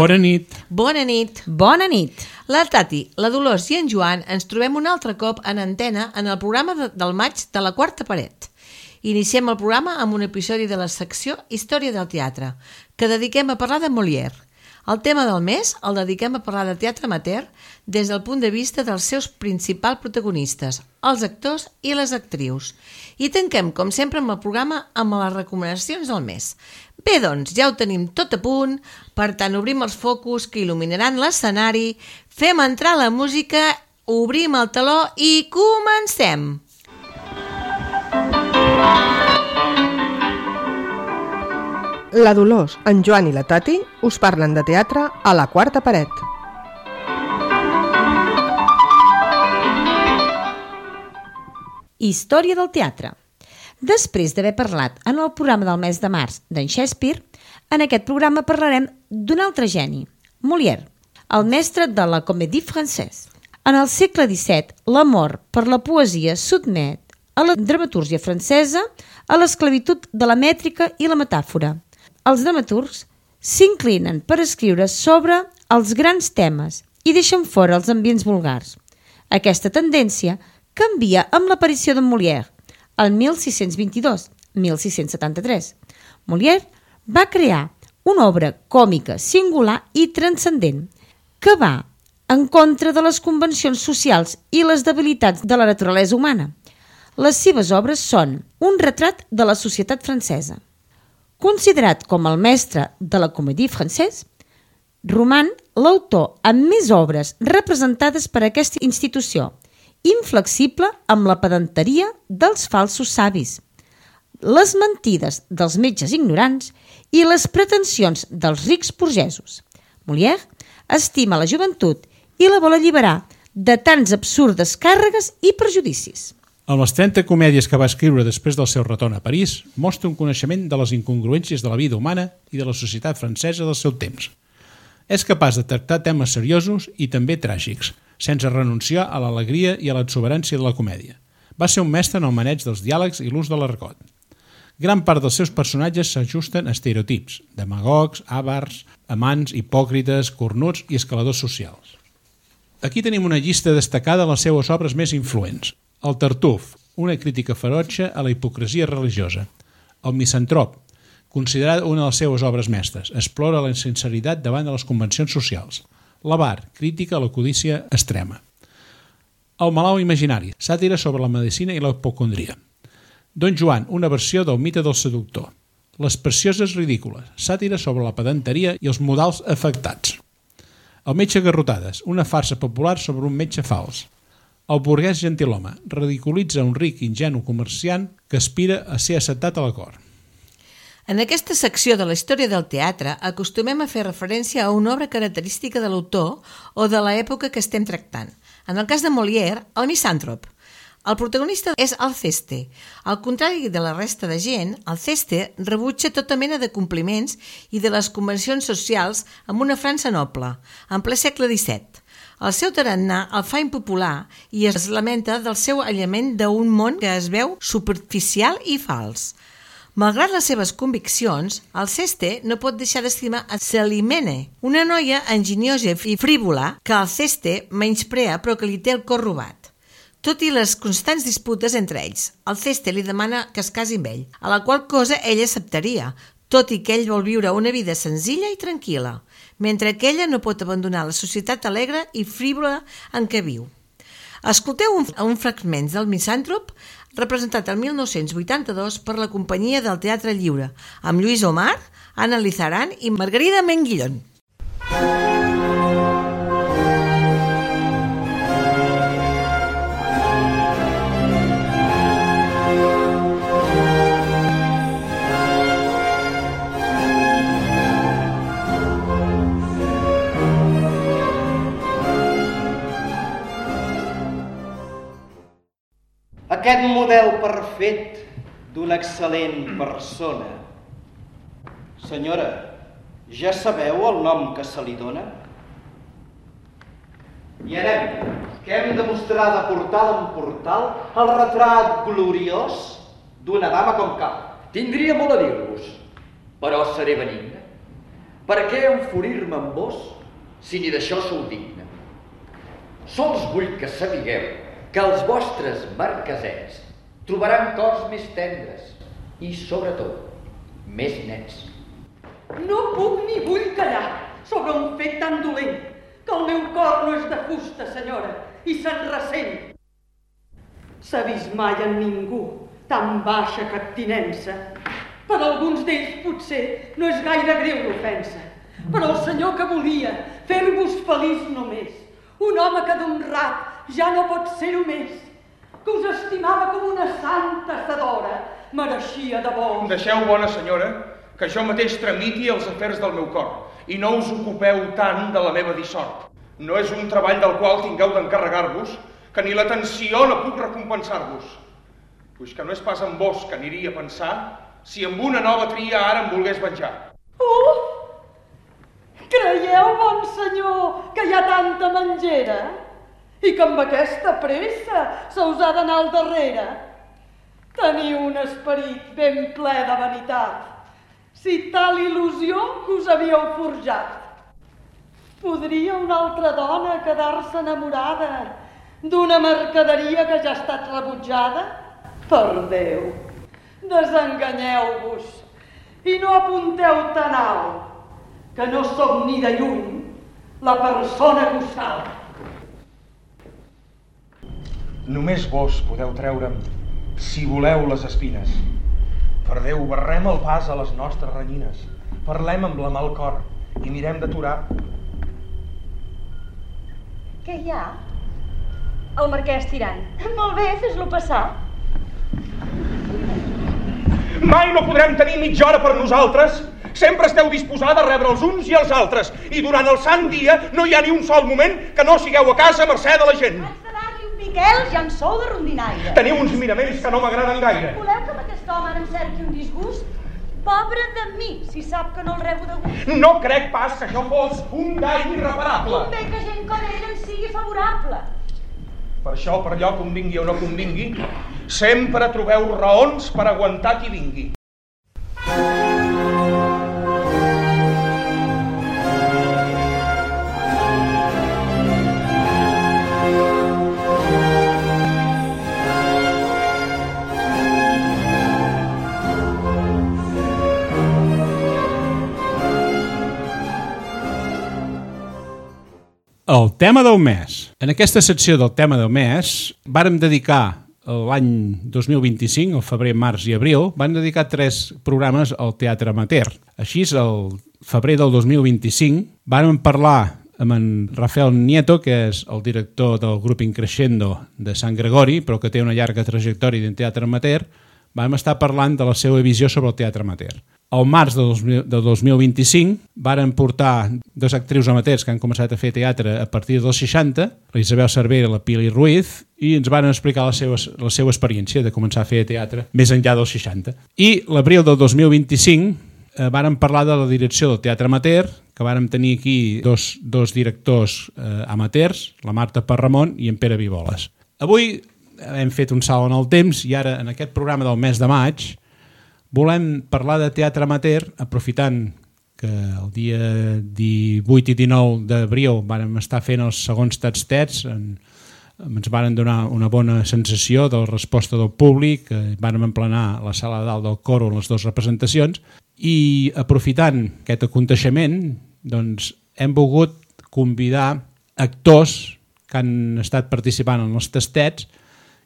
Bona nit. Bona nit. Bona nit. La Tati, la Dolors i en Joan ens trobem un altre cop en antena en el programa del maig de La Quarta Paret. Iniciem el programa amb un episodi de la secció Història del teatre, que dediquem a parlar de Molière. El tema del mes el dediquem a parlar de teatre amateur des del punt de vista dels seus principals protagonistes, els actors i les actrius. I tanquem, com sempre, amb el programa amb les recomanacions del mes. Bé, doncs, ja ho tenim tot a punt, per tant, obrim els focus que il·luminaran l'escenari, fem entrar la música, obrim el teló i comencem! La Dolors, en Joan i la Tati us parlen de teatre a La Quarta Paret. Història del teatre. Després d'haver parlat en el programa del mes de març d'en Shakespeare, en aquest programa parlarem d'un altre geni, Molière, el mestre de la Comédie Française. En el segle XVII, l'amor per la poesia sotmet a la dramatúrgia francesa a l'esclavitud de la mètrica i la metàfora. Els dramaturgs s'inclinen per escriure sobre els grans temes i deixen fora els ambients vulgars. Aquesta tendència canvia amb l'aparició de Molière, el 1622-1673. Molière va crear una obra còmica, singular i transcendent, que va en contra de les convencions socials i les debilitats de la naturalesa humana. Les seves obres són un retrat de la societat francesa. Considerat com el mestre de la Comédie Française, roman l'autor amb més obres representades per aquesta institució, inflexible amb la pedanteria dels falsos savis, les mentides dels metges ignorants i les pretensions dels rics burgesos. Molière estima la joventut i la vol alliberar de tants absurdes càrregues i prejudicis. Amb les 30 comèdies que va escriure després del seu retorn a París, mostra un coneixement de les incongruències de la vida humana i de la societat francesa del seu temps. És capaç de tractar temes seriosos i també tràgics, sense renunciar a l'alegria i a l'exuberància de la comèdia. Va ser un mestre en el maneig dels diàlegs i l'ús de l'argot. Gran part dels seus personatges s'ajusten a estereotips, demagogs, àvars, amants, hipòcrites, cornuts i escaladors socials. Aquí tenim una llista destacada de les seues obres més influents. El Tartuf, una crítica ferotge a la hipocresia religiosa. El Misantrop, considerat una de les seues obres mestres, explora la insinceritat davant de les convencions socials. L'Avar, crítica a la codícia extrema. El Malalt imaginari, sàtira sobre la medicina i la hipocondria. Don Joan, una versió del mite del seductor. Les precioses ridícules, sàtira sobre la pedanteria i els modals afectats. El metge Garrotades, una farsa popular sobre un metge fals. El burguès gentilhome ridiculitza un ric ingenu comerciant que aspira a ser acceptat a la cort. En aquesta secció de la història del teatre acostumem a fer referència a una obra característica de l'autor o de l'època que estem tractant. En el cas de Molière, el Misàntrop. El protagonista és Alceste. Al contrari de la resta de gent, Alceste rebutja tota mena de compliments i de les convencions socials amb una França noble, en ple segle XVII. El seu tarannà el fa impopular i es lamenta del seu aïllament d'un món que es veu superficial i fals. Malgrat les seves conviccions, Alceste no pot deixar d'estimar a Célimène, una noia enginyosa i frívola que Alceste menysprea però que li té el cor robat. Tot i les constants disputes entre ells, Alceste li demana que es casi amb ell, a la qual cosa ella acceptaria, tot i que ell vol viure una vida senzilla i tranquil·la, mentre que ella no pot abandonar la societat alegre i frívola en què viu. Escolteu un fragment del Misàntrop representat el 1982 per la Companyia del Teatre Lliure, amb Lluís Omar, Anna Lizaran i Margarida Menguillón. Aquest model perfet d'una excel·lent persona. Senyora, ja sabeu el nom que se li dona? I anem, que hem de mostrar de portal en portal el retrat gloriós d'una dama com cal. Tindria molt a dir-vos, però seré benigne. Per què enfurir-me amb vos si ni d'això sou digne? Sols vull que sapigueu que els vostres marquesets trobaran cors més tendres i, sobretot, més nets. No puc ni vull callar sobre un fet tan dolent, que el meu cor no és de fusta, senyora, i se'n ressent. S'ha vist mai en ningú tan baixa captinença. Per alguns d'ells potser no és gaire greu l'ofensa, però el senyor que volia fer-vos feliç només, un home que d'honrat ja no pot ser-ho més, que us estimava com una santa sedora, mereixia de vos. Deixeu, bona senyora, que jo mateix tramiti els afers del meu cor i no us ocupeu tant de la meva dissort. No és un treball del qual tingueu d'encarregar-vos, que ni l'atenció no puc recompensar-vos. Puix que no és pas en vos que aniria a pensar si amb una nova tria ara em volgués venjar. Oh! Creieu, bon senyor, que hi ha tanta mengera? I que amb aquesta pressa se us ha d'anar al darrere? Teniu un esperit ben ple de vanitat, si tal il·lusió que us havíeu forjat. Podria una altra dona quedar-se enamorada d'una mercaderia que ja ha estat rebutjada? Per Déu, desenganyeu-vos i no apunteu tan alt, que no som ni de lluny la persona que us cal. Només vos podeu treure'm, si voleu, les espines. Per Déu, barrem el pas a les nostres renyines, parlem amb la mà al cor i mirem d'aturar. Què hi ha? El marquès tirant. Molt bé, fes-lo passar. Mai no podrem tenir mitja hora per nosaltres. Sempre esteu disposada a rebre els uns i els altres. I durant el sant dia no hi ha ni un sol moment que no sigueu a casa a mercè de la gent. Haig de dar-li un piquel, ja en sou de rondinaire. Teniu uns miraments que no m'agraden gaire. Voleu que amb aquest home ara em cerqui un disgust? Pobre de mi, si sap que no el rebo de gust. No crec pas que això fos un dany irreparable. Convé que gent com ell ens sigui favorable. Per això, per allò convingui o no convingui, sempre trobeu raons per aguantar qui vingui. El tema del mes. En aquesta secció del tema del mes vàrem dedicar l'any 2025, el febrer, març i abril, van dedicar 3 programes al teatre amateur. Així, el febrer del 2025 vàrem parlar amb en Rafael Nieto, que és el director del grup Increscendo de Sant Gregori, però que té una llarga trajectòria en teatre amateur. Vam estar parlant de la seva visió sobre el teatre amateur. Al març de 2025 varen portar 2 actrius amateurs que han començat a fer teatre a partir dels 60, la Isabel Cervera i la Pili Ruiz, i ens van explicar la seva experiència de començar a fer teatre més enllà dels 60. I l'abril del 2025 varen parlar de la direcció del teatre amateur, que vàrem tenir aquí dos directors amateurs, la Marta Parramon i en Pere Vivoles. Avui hem fet un salt en el temps i ara en aquest programa del mes de maig volem parlar de teatre amateur, aprofitant que el dia 18 i 19 d'abril vàrem estar fent els segons tastets, ens varen donar una bona sensació de la resposta del públic, vàrem emplenar la sala de dalt del coro en les 2 representacions, i aprofitant aquest aconteixement, doncs hem volgut convidar actors que han estat participant en els tastets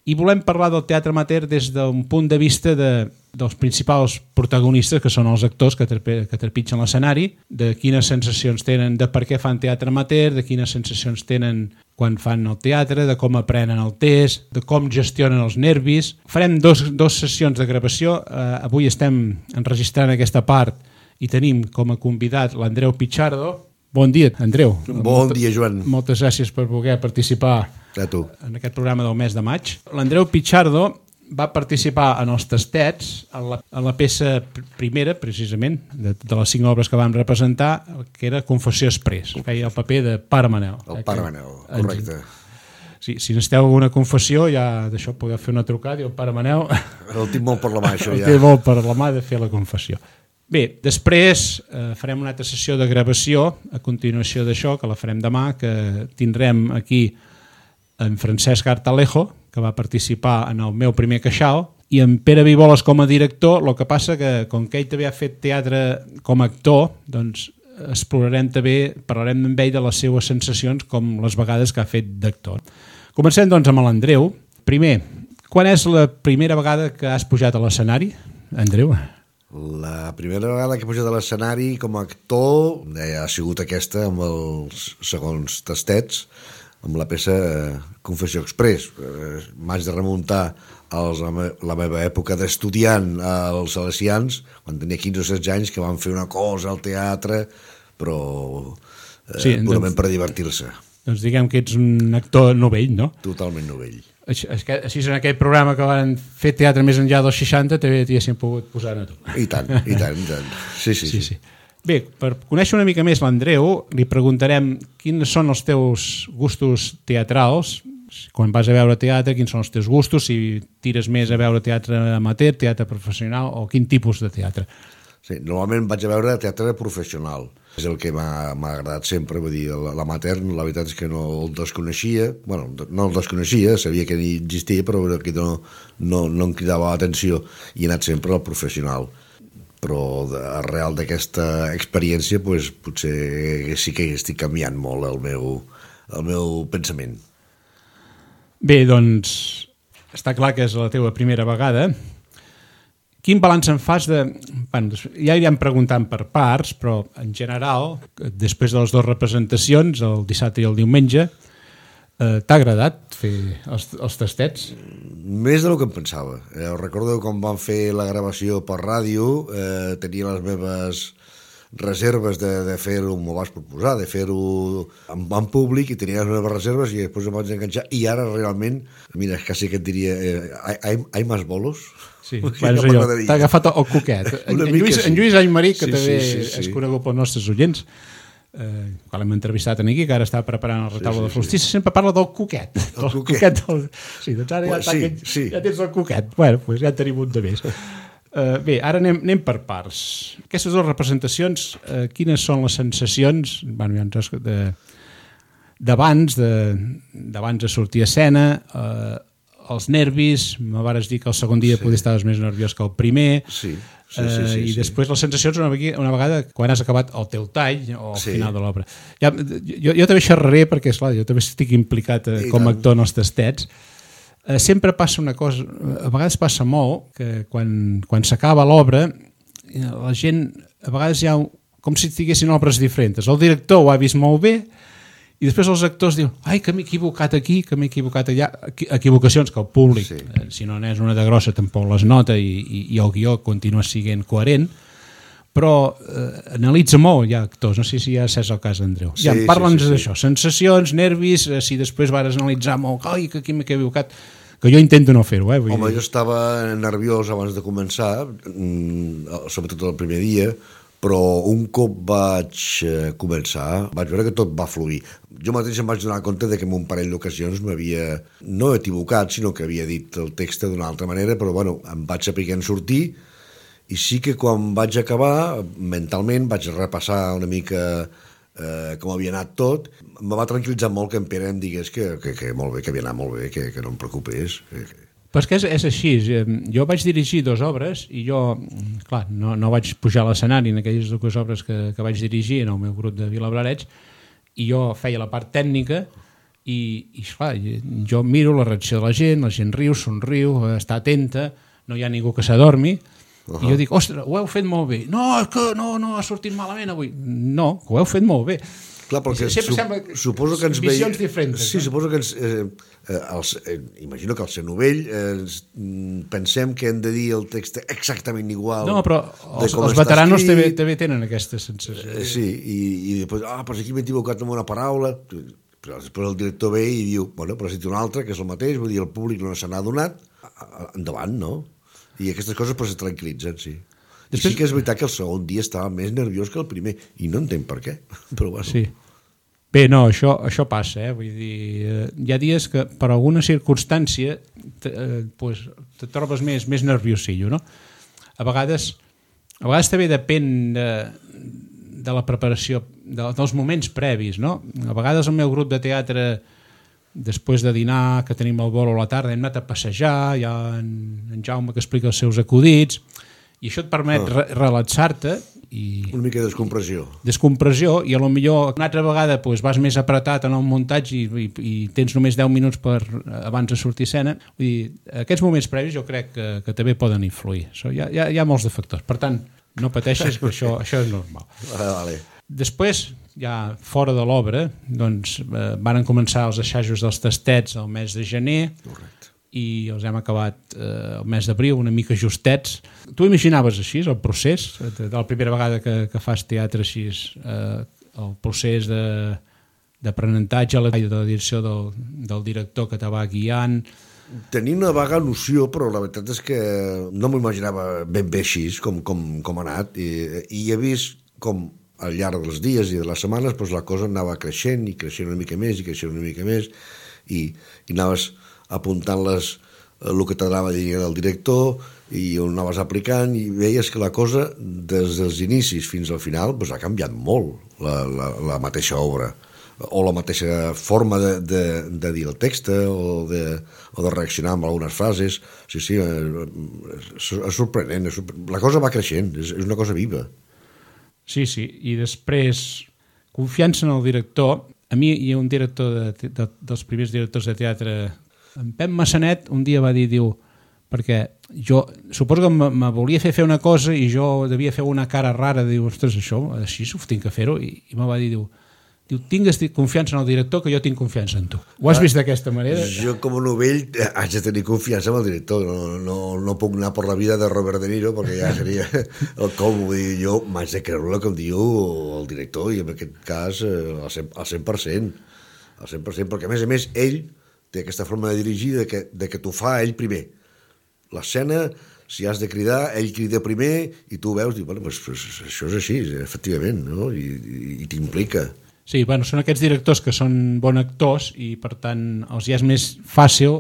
i volem parlar del teatre amateur des d'un punt de vista dels principals protagonistes, que són els actors que trepitgen l'escenari, de quines sensacions tenen de per què fan teatre amateur, de quines sensacions tenen quan fan el teatre, de com aprenen el test, de com gestionen els nervis. Farem dos sessions de gravació. Avui estem enregistrant aquesta part i tenim com a convidat l'Andreu Pichardo. Bon dia, Andreu. Bon dia, Joan. Moltes gràcies per voler participar en aquest programa del mes de maig. L'Andreu Pichardo va participar en els tastets, en la peça primera, precisament, de les 5 obres que vam representar, que era Confessió Exprés. Feia el paper de Pare Manel. El Pare Manel, correcte. Sí, si necessiteu alguna confessió, ja d'això podeu fer una trucada i el Pare Manel... El tinc molt per la mà, això, ja. El té molt per la mà de fer la confessió. Bé, després farem una altra sessió de gravació a continuació d'això, que la farem demà, que tindrem aquí en Francesc Artalejo, que va participar en el meu primer queixal, i en Pere Viboles com a director. El que passa que, com que ell també ha fet teatre com a actor, doncs explorarem també, parlarem amb ell de les seues sensacions com les vegades que ha fet d'actor. Comencem doncs amb l'Andreu. Primer, quan és la primera vegada que has pujat a l'escenari, Andreu? La primera vegada que he pujat a l'escenari com a actor ha sigut aquesta amb els segons tastets, amb la peça Confessió Express. M'haig de remuntar a la meva època d'estudiant als Salesians, quan tenia 15 o 16 anys, que van fer una cosa al teatre, però purament per divertir-se. Doncs diguem que ets un actor novell, no? Totalment novell. Així en aquell programa que van fer teatre més enllà dels 60 també t'hi pogut posar a tu. I tant. Sí. Bé, per conèixer una mica més l'Andreu, li preguntarem quins són els teus gustos teatrals, quan vas a veure teatre, quins són els teus gustos, si tires més a veure teatre amateur, teatre professional o quin tipus de teatre. Sí, normalment vaig a veure teatre professional. És el que m'ha agradat sempre, vull dir, l'amateur, la veritat és que no el desconeixia, bueno, no el desconeixia, sabia que existia, però que no em cridava l'atenció i he anat sempre al professional. Però arrel d'aquesta experiència doncs, potser sí que estic canviant molt el meu pensament. Bé, doncs està clar que és la teva primera vegada. Quin balanç en fas de... Bueno, ja anirem preguntant per parts, però en general, després de les dues representacions, el dissabte i el diumenge, t'ha agradat fer els tastets? Més del que em pensava. Recordo quan vam fer la gravació per ràdio, tenia les meves reserves de fer-ho, m'ho vas proposar, de fer-ho en públic, i tenia les meves reserves i després em vaig enganxar, i ara realment, mira, quasi que et diria, hay más bolos? Sí, t'ha agafat el coquet. En Lluís Aymarí, que també és conegut pels nostres oients, quan l'hem entrevistat aquí, que ara està preparant el retaule de Solstici, sempre parla del coquet. El coquet. Sí, doncs ara ja tens el coquet. Bueno, doncs ja en tenim un de més. Bé, ara anem per parts. Aquestes dues representacions, quines són les sensacions d'abans de sortir a escena, els nervis, me vares dir que el segon dia potser estaves més nerviós que el primer, i després les sensacions una vegada quan has acabat el teu tall o al final de l'obra. Jo també xerraré perquè, esclar, jo també estic implicat com a actor en els tastets. Sempre passa una cosa, a vegades passa molt, que quan s'acaba l'obra, la gent, a vegades hi ha com si tinguessin obres diferents. El director ho ha vist molt bé, i després els actors diuen, ai, que m'he equivocat aquí, que m'he equivocat allà. Equivocacions que el públic, si no n'és una de grossa, tampoc les nota i el guió continua sent coherent, però analitza molt, hi ha actors, no sé si ja és el cas, Andreu. Parla'ns d'això, sensacions, nervis, si després vas analitzar molt, ai, que aquí m'he equivocat, que jo intento no fer-ho. Home, jo estava nerviós abans de començar, sobretot el primer dia, però un cop vaig començar, vaig veure que tot va fluir. Jo mateix em vaig donar compte que en un parell d'ocasions m'havia no equivocat, sinó que havia dit el text d'una altra manera, però bueno, em vaig saber en sortir, i sí que quan vaig acabar, mentalment vaig repassar una mica com havia anat tot. Em va tranquil·litzar molt que en Pere em digués que molt bé, que havia anat molt bé, que no em preocupés. Però és que és així, jo vaig dirigir 2 obres i jo, clar, no vaig pujar a l'escenari en aquelles 2 obres que vaig dirigir en el meu grup de Vilablareix, i jo feia la part tècnica i clar, jo miro la reacció de la gent riu, somriu, està atenta, no hi ha ningú que s'adormi, i jo dic, ostres, ho heu fet molt bé. No, és que no ha sortit malament avui. No, ho heu fet molt bé. Clar, perquè suposo que ens visions diferents. Sí, suposo que ens... imagino que al ser novell pensem que hem de dir el text exactament igual. No, però els veteranos també tenen aquesta sensació. Sí, i després, però aquí m'he equivocat amb una paraula, però després el director ve i diu, bueno, però si té una altra, que és el mateix, vull dir, el públic no se n'ha adonat, endavant, no? I aquestes coses però se tranquil·litzen, sí. Després... Sí que és veritat que el segon dia estava més nerviós que el primer, i no entenc per què, però bueno. Sí. Bé, no, això passa, vull dir, hi ha dies que per alguna circumstància te trobes més nerviosillo, no? A vegades A vegades també depèn de la preparació, dels moments previs, no? A vegades el meu grup de teatre, després de dinar, que tenim el bolo a la tarda, hem anat a passejar, hi ha en Jaume que explica els seus acudits, i això et permet relaxar-te i... Una mica de descompressió. Descompressió, i a lo millor una altra vegada pues, vas més apretat en el muntatge i tens només 10 minuts abans de sortir a escena. Vull dir, aquests moments previs jo crec que també poden influir. Hi ha molts de factors. Per tant, no pateixis, que això és normal. Vale. Després, ja fora de l'obra, doncs, van començar els assajos dels tastets el mes de gener. Correcte. I els hem acabat el mes d'abril, una mica justets. Tu imaginaves així el procés? De la primera vegada que fas teatre així, el procés d'aprenentatge, de la direcció del director que te va guiant... Tenia una vaga noció, però la veritat és que no m'ho imaginava ben bé així com ha anat, i he vist com al llarg dels dies i de les setmanes doncs la cosa anava creixent i creixent una mica més i creixent una mica més, i anaves apuntant el que t'anava dient el director i ho anaves aplicant, i veies que la cosa des dels inicis fins al final doncs ha canviat molt la mateixa obra, o la mateixa forma de dir el text o de reaccionar amb algunes frases. Sí, és sorprenent. La cosa va creixent, és una cosa viva. Sí, i després confiança en el director. A mi hi ha un director dels primers directors de teatre, en Pep Massanet, un dia va dir, perquè jo suposo que me volia fer una cosa i jo devia fer una cara rara, diu, ostres, això, així ho tinc que fer-ho, i me va dir, diu, tingues confiança en el director, que jo tinc confiança en tu. Ho has vist d'aquesta manera? Jo, com a novell, haig de tenir confiança en el director. No puc anar per la vida de Robert De Niro, perquè ja seria el colmo. Vull dir, jo m'haig de creure el que em diu el director, i en aquest cas al 100%. Al 100%, perquè a més ell té aquesta forma de dirigir de que t'ho fa ell primer. L'escena, si has de cridar, ell crida primer i tu veus, dius, bueno, pues això és així, efectivament, no? I t'implica. Sí, són aquests directors que són bons actors i, per tant, els ja és més fàcil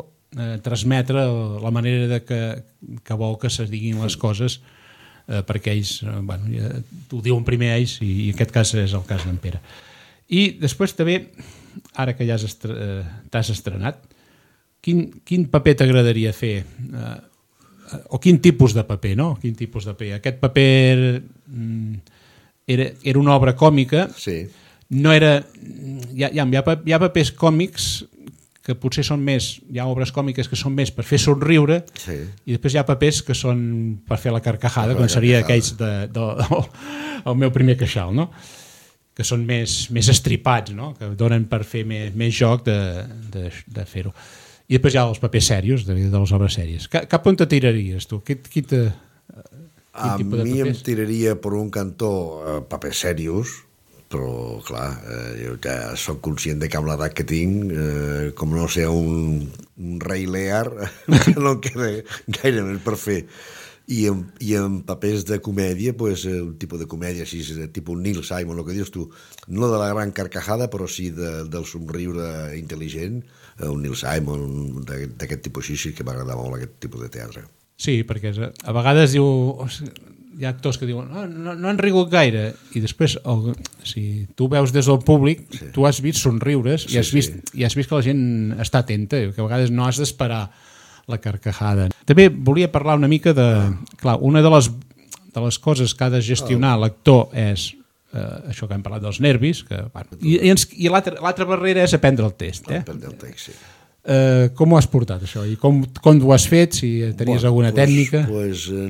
transmetre la manera que vol que se diguin les coses, perquè ells, t'ho diuen primer ells, i en aquest cas és el cas d'en Pere. I després també, ara que ja t'has estrenat, quin paper t'agradaria fer? O quin tipus de paper, no? Quin tipus de paper? Aquest paper era una obra còmica. Sí. No era... Hi ha papers còmics que potser són més... Hi ha obres còmiques que són més per fer somriure, sí. I després hi ha papers que són per fer la carcajada, com seria aquells del meu primer queixal, no? Que són més estripats, no? Que donen per fer més joc de fer-ho. I després hi ha els papers serios, de les obres sèries. Cap on te tiraries, tu? A mi em tiraria per un cantó papers serios, però clar, jo ja soc conscient de que amb l'edat que tinc, com no sé, un rei Lear, no em queda gaire més per fer. I en papers de comèdia, un tipus de comèdia així, tipus Neil Simon, el que dius tu, no de la gran carcajada, però sí del somriure intel·ligent, un Neil Simon, d'aquest tipus així, que m'agrada molt aquest tipus de teatre. Sí, perquè a vegades hi ha actors que diuen no han rigut gaire, i després si tu veus des del públic, tu has vist somriures i has vist que la gent està atenta, que a vegades no has d'esperar la carcajada. També volia parlar una mica de... Clar, una de les coses que ha de gestionar l'actor és això que hem parlat dels nervis, i l'altra barrera és aprendre el text. Aprendre el text, sí. Com ho has portat, això? I com ho has fet? Si tenies alguna tècnica?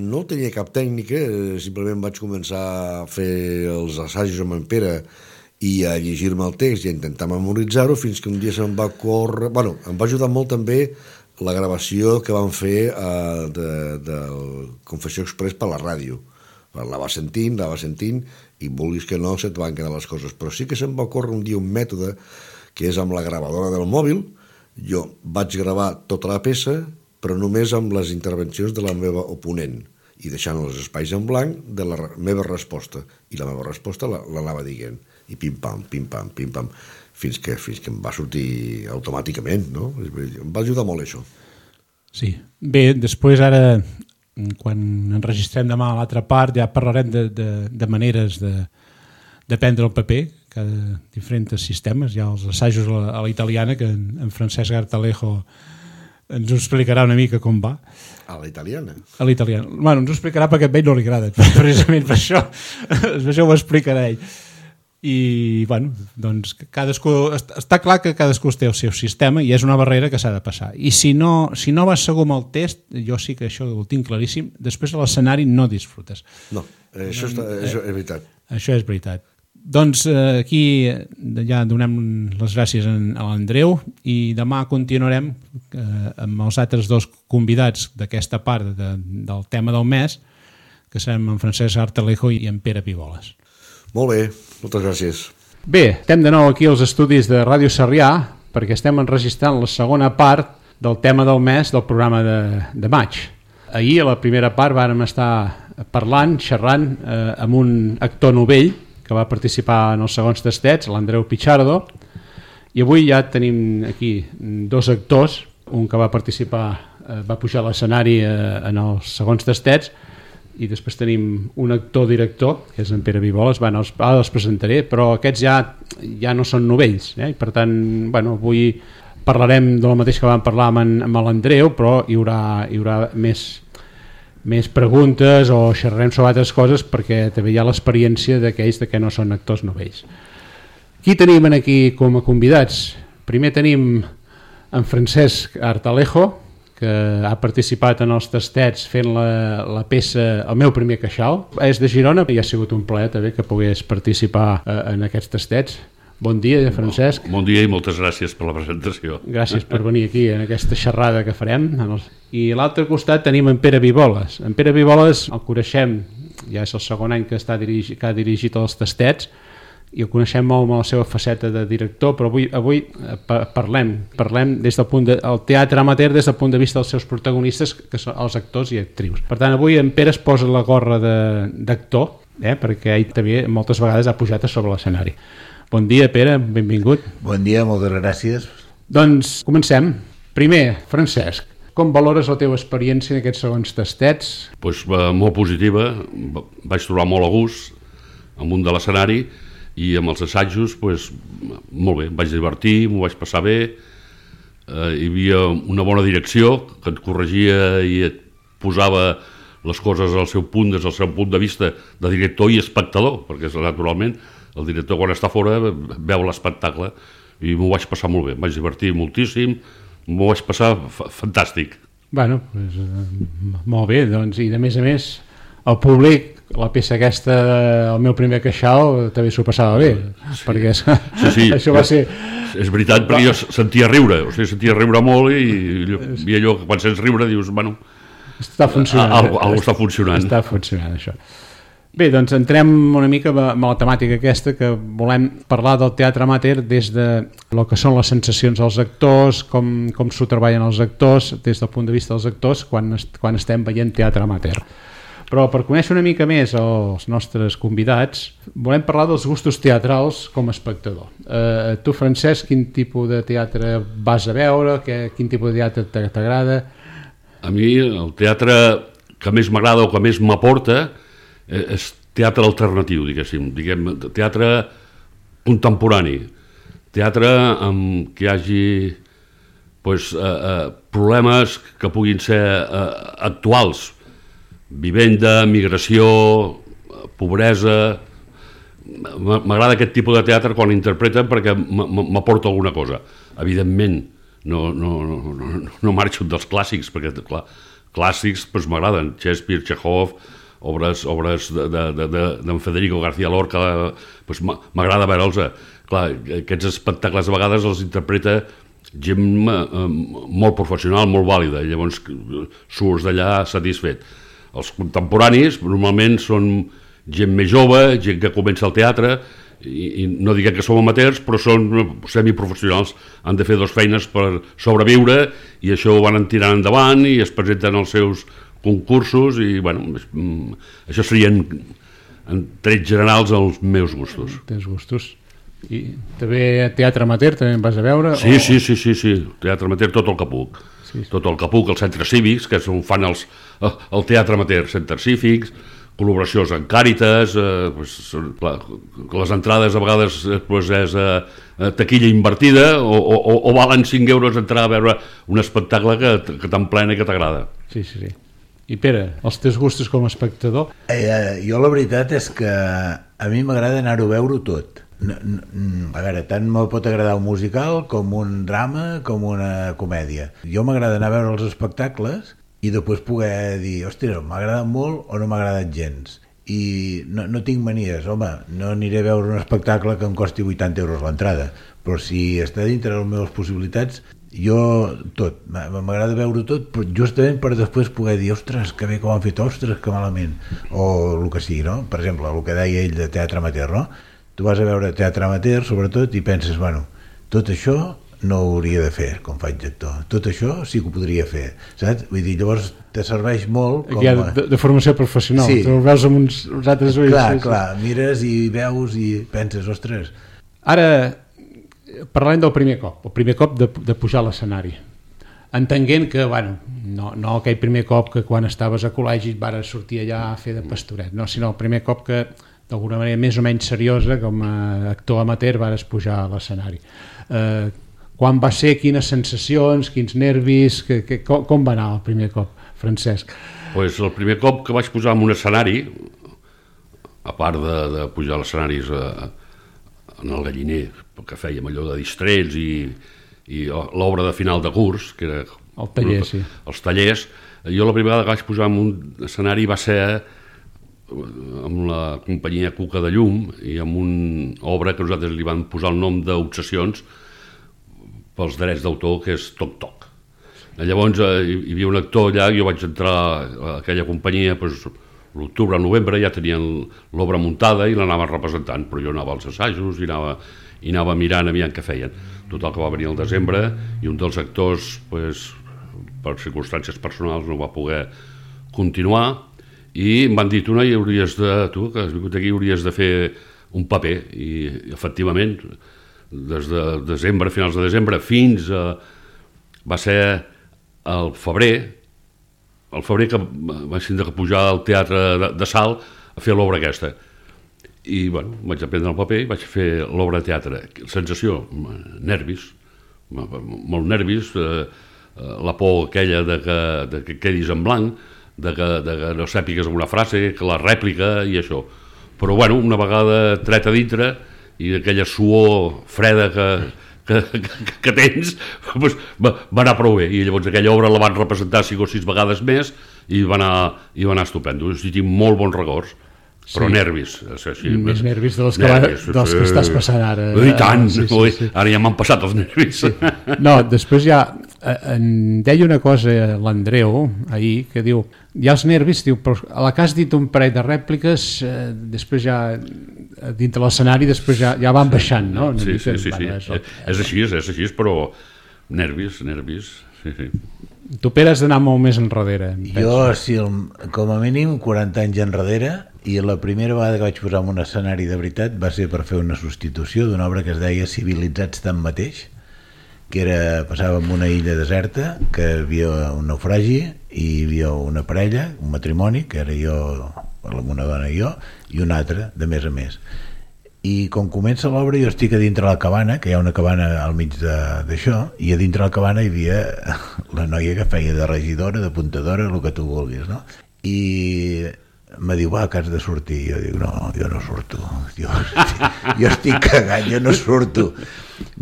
No tenia cap tècnica, simplement vaig començar a fer els assajos amb en Pere i a llegir-me el text i a intentar memoritzar-ho, fins que un dia se'm va córrer... Em va ajudar molt també la gravació que van fer del Confessió Express per la ràdio. La va sentint, i vulguis que no, se't van quedar les coses. Però sí que se'm va córrer un dia un mètode que és amb la gravadora del mòbil. Jo vaig gravar tota la peça, però només amb les intervencions de la meva oponent i deixant els espais en blanc de la meva resposta. I la meva resposta l'anava dient. I pim-pam, pim-pam, pim-pam, fins que em va sortir automàticament, no? Em va ajudar molt això. Sí. Bé, després ara quan enregistrem demà a l'altra part ja parlarem de maneres de prendre el paper, cada diferents sistemes. Hi ha els assajos a la italiana, que en Francesc Artalejo ens ho explicarà una mica com va. A la italiana? A l'italiana. Bueno, ens ho explicarà perquè a ell no li agrada, precisament per això ho explicarà ell. I, bueno, doncs cadascú, està clar que cadascú té el seu sistema i és una barrera que s'ha de passar. I si no vas segur amb el test, jo sí que això ho tinc claríssim, després a l'escenari no disfrutes. No, això és veritat. Això és veritat. Doncs aquí ja donem les gràcies a l'Andreu i demà continuarem amb els altres dos convidats d'aquesta part del tema del mes, que serem en Francesc Artalejo i en Pere Piboles. Molt bé, moltes gràcies. Bé, estem de nou aquí als estudis de Ràdio Sarrià perquè estem enregistrant la segona part del tema del mes del programa de maig. Ahir, a la primera part, vàrem estar xerrant amb un actor novell que va participar en els segons tastets, l'Andreu Pichardo, i avui ja tenim aquí dos actors, un que va participar, va pujar a l'escenari en els segons tastets, i després tenim un actor-director, que és en Pere Piboles, ara els presentaré, però aquests ja no són novells, i per tant, avui parlarem de lo mateix que vam parlar amb l'Andreu, però hi haurà més preguntes o xerrarem sobre altres coses perquè també hi ha l'experiència d'aquells que no són actors novells. Qui tenim aquí com a convidats? Primer tenim en Francesc Artalejo, que ha participat en els tastets fent la peça El meu primer queixal. És de Girona i ha sigut un plaer també que pogués participar en aquests tastets. Bon dia, Francesc. Bon dia i moltes gràcies per la presentació. Gràcies per venir aquí en aquesta xerrada que farem. I a l'altre costat tenim en Pere Piboles. En Pere Piboles el coneixem, ja és el segon any que ha dirigit els tastets, i el coneixem molt amb la seva faceta de director, però avui parlem des del punt del teatre amateur des del punt de vista dels seus protagonistes, que són els actors i actrius. Per tant, avui en Pere es posa la gorra d'actor, perquè ell també moltes vegades ha pujat a sobre l'escenari. Bon dia, Pere, benvingut. Bon dia, moltes gràcies. Doncs comencem. Primer, Francesc, com valores la teva experiència en aquests segons tastets? Molt positiva, vaig trobar molt a gust amb un de l'escenari, i amb els assajos, molt bé, em vaig divertir, m'ho vaig passar bé, hi havia una bona direcció que et corregia i et posava les coses al seu punt, des del seu punt de vista de director i espectador, perquè naturalment el director quan està fora veu l'espectacle i m'ho vaig passar molt bé, em vaig divertir moltíssim, m'ho vaig passar fantàstic. Molt bé, doncs, i de més a més el públic, la peça aquesta, El meu primer queixal, també s'ho passava bé, perquè això va ser... És veritat, perquè jo sentia riure, sentia riure molt i allò que quan sents riure dius, està funcionant. Algú està funcionant. Està funcionant, això. Bé, doncs entrem una mica amb la temàtica aquesta, que volem parlar del teatre amateur des de el que són les sensacions dels actors, com s'ho treballen els actors, des del punt de vista dels actors, quan estem veient teatre amateur. Però per conèixer una mica més els nostres convidats, volem parlar dels gustos teatrals com a espectador. Tu, Francesc, quin tipus de teatre vas a veure? Quin tipus de teatre t'agrada? A mi el teatre que més m'agrada o que més m'aporta és teatre alternatiu, diguem, teatre contemporani, teatre amb què hi hagi problemes que puguin ser actuals, vivenda, migració, pobresa. M'agrada aquest tipus de teatre quan interpreten perquè m'aporta alguna cosa. Evidentment, no marxo dels clàssics, perquè clàssics m'agraden, Shakespeare, Chekhov, obres d'en Federico García Lorca, m'agrada veure'ls. Clar, aquests espectacles a vegades els interpreta gent molt professional, molt vàlida, i llavors surts d'allà satisfet. Els contemporanis normalment són gent més jove, gent que comença al teatre, i no diguem que som amateurs, però són semiprofessionals, han de fer dues feines per sobreviure, i això ho van tirant endavant i es presenten als seus concursos, i això serien en trets generals els meus gustos. Tens gustos. I també teatre amateur també em vas a veure? Sí, teatre amateur tot el que puc. tot el que puc, els centres cívics, que és on fan el teatre amateur, centres cívics, col·laboracions amb Càritas, les entrades a vegades és taquilla invertida o valen 5 euros entrar a veure un espectacle que t'emplena i que t'agrada. Sí. I Pere, els teus gustos com a espectador? Jo la veritat és que a mi m'agrada anar-ho a veure tot. A veure, tant me pot agradar un musical com un drama com una comèdia. Jo m'agrada anar a veure els espectacles i després poder dir, hòstia, m'ha agradat molt o no m'ha agradat gens. I no tinc manies, home, no aniré a veure un espectacle que em costi 80 euros l'entrada, però si està dintre de les meves possibilitats, jo tot, m'agrada veure tot, però justament per després poder dir, ostres, que bé que ho han fet, ostres, que malament, o el que sigui, no? Per exemple, el que deia ell de teatre amateur, no? Tu vas a veure teatre amateur, sobretot, i penses, bueno, tot això no ho hauria de fer com faig d'actor, tot això sí que ho podria fer, saps? Vull dir, llavors te serveix molt com... de formació professional, sí. Tu ho veus amb uns altres ulls. Clar, mires i veus i penses, ostres. Ara, parlem del primer cop de pujar a l'escenari, entenent que, bueno, no aquell primer cop que quan estaves a col·legi et vares sortir allà a fer de pastoret, no, sinó el primer cop que d'alguna manera més o menys seriosa com a actor amateur vares pujar a l'escenari. Quan va ser, quines sensacions, quins nervis, com va anar el primer cop, Francesc? Pues el primer cop que vaig pujar en un escenari, a part de pujar a l'escenaris en el Galliner, que fèiem allò de distrets i l'obra de final de curs, que era el taller, sí. Els tallers, jo la primera vegada que vaig pujar en un escenari va ser amb la companyia Cuca de Llum i amb una obra que nosaltres li vam posar el nom d'Obsessions pels drets d'autor, que és Toc Toc. Llavors hi havia un actor allà, jo vaig entrar a aquella companyia, l'octubre, novembre, ja tenien l'obra muntada i l'anaven representant, però jo anava als assajos i anava mirant aviam què feien. Total, que va venir el desembre i un dels actors, per circumstàncies personals, no va poder continuar i em van dir, tu que has vingut aquí, hauries de fer un paper, i efectivament des de desembre, finals de desembre fins a... va ser el febrer que vaig tindre que pujar al teatre de Salt a fer l'obra aquesta i bueno, vaig aprendre el paper i vaig fer l'obra de teatre. Sensació, nervis, molt nervis, la por aquella de que quedis en blanc, de que no sàpigues alguna frase, que la rèplica i això, però bueno, una vegada tret a dintre i aquella suor freda que tens, va anar prou bé, i llavors aquella obra la van representar 5 o 6 vegades més i va anar estupendo. O sigui, tinc molt bons records, però nervis. Més nervis dels que estàs passant ara. I tant, ara ja m'han passat els nervis. No, després ja em deia una cosa l'Andreu ahir, que diu, hi ha els nervis, diu, però a la que has dit un parell de rèpliques, després ja dintre l'escenari després ja van baixant, no? Sí. És així, però nervis, sí. Tu, Pere, has d'anar molt més enrere. Jo, sí, com a mínim 40 anys enrere, i la primera vegada que vaig posar en un escenari de veritat va ser per fer una substitució d'una obra que es deia Civilitzats tanmateix, que passava en una illa deserta, que hi havia un naufragi i hi havia una parella, un matrimoni, que era jo, una dona i jo, i una altra, de més a més. I com comença l'obra jo estic a dintre la cabana, que hi ha una cabana al mig d'això, i a dintre la cabana hi havia la noia que feia de regidora, de puntadora, el que tu vulguis, no? I me diu, va, que has de sortir. Jo dic, no, jo no surto. Jo estic cagant, jo no surto.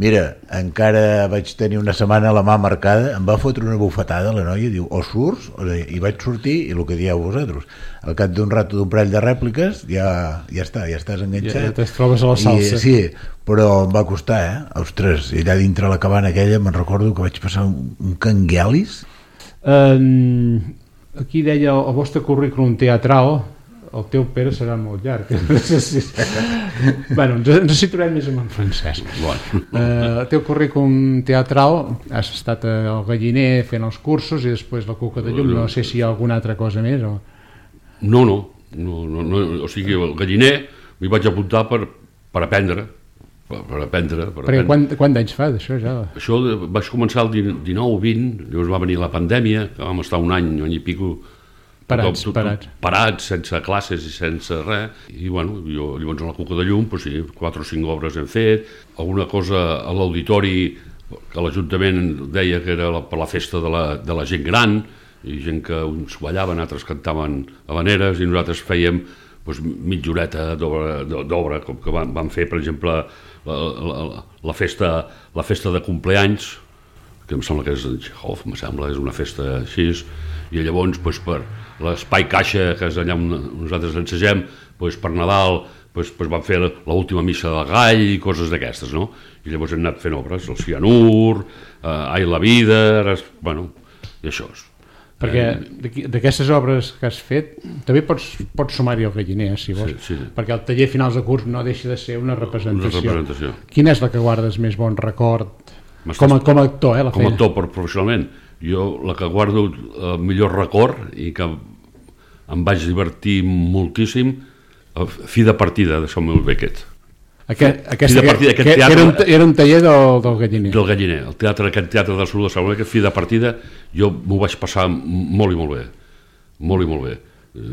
Mira, encara vaig tenir una setmana la mà marcada, em va fotre una bufetada la noia, diu, o surts, i vaig sortir, i el que dieu vosaltres. Al cap d'un rato, d'un parell de rèpliques, ja està, ja estàs enganxat. Ja te'n trobes a la salsa. Sí, però em va costar, Ostres, i allà dintre la cabana aquella me'n recordo que vaig passar un canguelis. Aquí deia el vostre currículum teatral, el teu, Pere, serà molt llarg. Bueno, ens situarem més amb en Francesc. El teu currículum teatral, has estat al Galliner fent els cursos i després la Cuca de Llum, no sé si hi ha alguna altra cosa més o... No, o sigui, al Galliner m'hi vaig apuntar per aprendre, per aprendre. Perquè quant d'anys fa d'això ja? Això vaig començar el 19 o 20, llavors va venir la pandèmia, que vam estar un any i pico parats, sense classes i sense res, i bueno, jo llavors a la Cuca de Llum, doncs sí, 4 o 5 obres hem fet, alguna cosa a l'auditori que l'Ajuntament deia que era per la festa de la gent gran, i gent que uns ballaven, altres cantaven habaneres, i nosaltres fèiem mitja horeta d'obra, com que vam fer, per exemple, la festa de compleanys, que em sembla que és en Chekhov, em sembla, és una festa així, i llavors per l'espai caixa, que és allà on nosaltres ensegem, per Nadal vam fer l'última missa del gall i coses d'aquestes, no? I llavors hem anat fent obres, el Cianur, Ai la vida, bueno, i això és. Perquè d'aquestes obres que has fet també pots sumar-hi el galliner, si vols, perquè el taller finals de curs no deixa de ser una representació. Quina és la que guardes més bon record com a actor? Com a actor, professionalment, jo la que guardo el millor record i que em vaig divertir moltíssim, Fi de partida de Samuel Beckett. Era un taller del galliner. Del galliner, aquest teatre del sud de Samuel Beckett, Fi de partida, jo m'ho vaig passar molt i molt bé, molt i molt bé.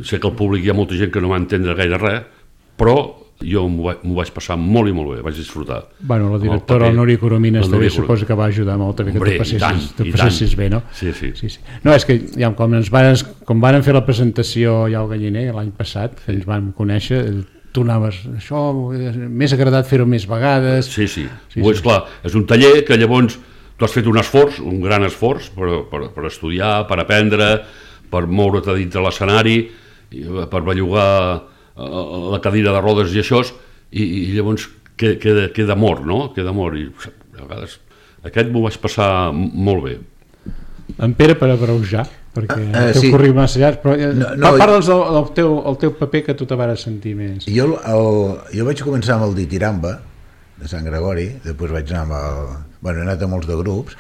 Sé que al públic hi ha molta gent que no va entendre gaire res, però jo m'ho vaig passar molt i molt bé, vaig disfrutar. Bueno, la directora, el Núria Coromines, també suposo que va ajudar molt que tu passessis bé, no? Sí. No, és que com varen fer la presentació ja al galliner l'any passat, que ens vam conèixer, tu anaves, això m'és agradat fer-ho més vegades. Sí. És clar, és un taller que llavors tu has fet un esforç, un gran esforç per estudiar, per aprendre, per moure't a dintre l'escenari, per bellugar la cadira de rodes i això, i llavors queda amor, no? Queda amor, i a vegades aquest m'ho vaig passar molt bé. En Pere, per abreujar, perquè el teu currículum massa llarg, però parla'ns del teu paper que tu te vas sentir més. Jo vaig començar amb el Ditiramba, de Sant Gregori, després vaig anar he anat a molts de grups,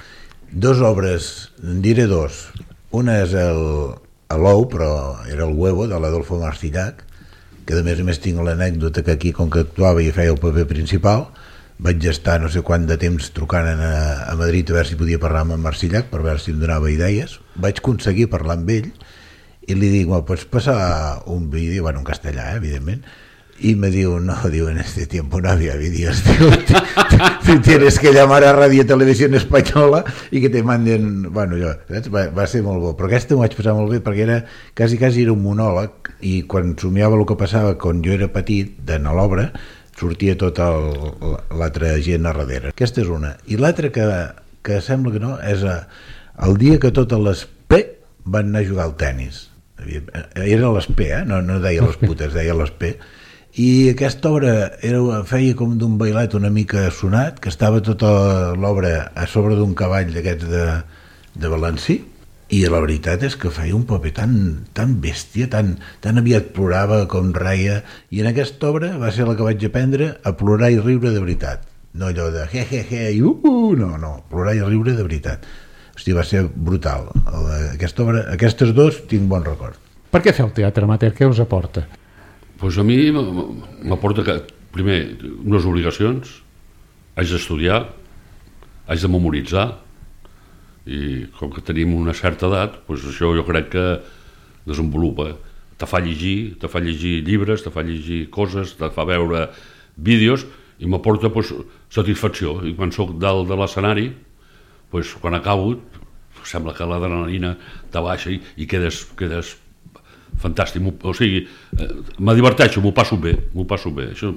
2 obres, en diré 2, una és l'Ou, però era el Huevo, de l'Adolfo Marcillac, que a més tinc l'anècdota que aquí, com que actuava i feia el paper principal, vaig estar no sé quant de temps trucant a Madrid a veure si podia parlar amb en Marcillac per veure si em donava idees. Vaig aconseguir parlar amb ell i li dic, pots passar un vídeo, en castellà, evidentment, y me diu, no, en este tiempo no había vídeos, tienes que llamar a Radio Televisión Espanyola i que te manden, saps? Va ser molt bo, però aquesta m'ho vaig passar molt bé perquè era, quasi era un monòleg, i quan somiava el que passava quan jo era petit, a l'obra, sortia tota l'altra gent a darrere. Aquesta és una. I l'altra que sembla que no, és el dia que totes les P van anar a jugar al tennis. Era les P, no deia les putes, deia les P. I aquesta obra feia com d'un bailet una mica sonat, que estava tota l'obra a sobre d'un cavall d'aquests de Valencí, i la veritat és que feia un paper tan bèstia, tan aviat plorava com reia, i en aquesta obra va ser la que vaig aprendre a plorar i riure de veritat, no allò de he, no, plorar i riure de veritat. Hosti, va ser brutal. Aquesta obra, aquestes 2 tinc bon record. Per què fer el teatre amateur? Què us aporta? Doncs a mi m'aporta que, primer, unes obligacions, haig d'estudiar, haig de memoritzar, i com que tenim una certa edat, doncs això jo crec que desenvolupa. Te fa llegir llibres, te fa llegir coses, te fa veure vídeos, i m'aporta satisfacció. I quan soc dalt de l'escenari, quan acabo, sembla que l'adrenalina te baixa i quedes fantàstic, o sigui, me diverteixo, m'ho passo bé, això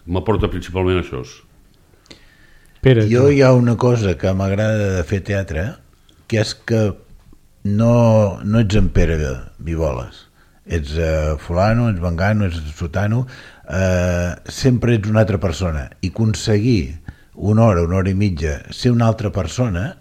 m'aporta principalment això. Jo hi ha una cosa que m'agrada de fer teatre, que és que no ets en Pere Vivoles, ets fulano, ets vengano, ets sotano, sempre ets una altra persona, i aconseguir una hora i mitja ser una altra persona,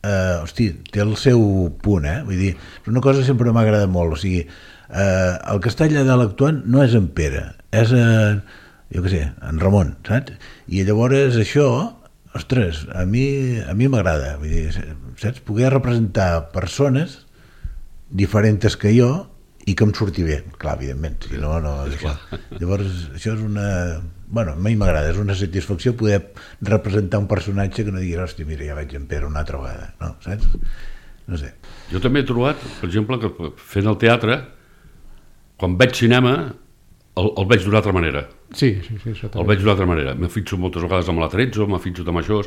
té el seu punt, vull dir, una cosa que sempre m'ha agradat molt, o sigui, el que està allà dalt actuant no és en Pere, és en Ramon, saps? I llavors això, ostres, a mi m'agrada, vull dir, saps? Poder representar persones diferents que jo i que em surti bé, clar, evidentment, si no, llavors això és una... bueno, a mi m'agrada, és una satisfacció poder representar un personatge que no diguis, hòstia, mira, ja vaig en Pere una altra vegada, no, saps? No sé. Jo també he trobat, per exemple, que fent el teatre, quan veig cinema, el veig d'una altra manera. Sí, això també. El veig d'una altra manera. Me fixo moltes vegades amb l'Atrezzo, me fixo amb això,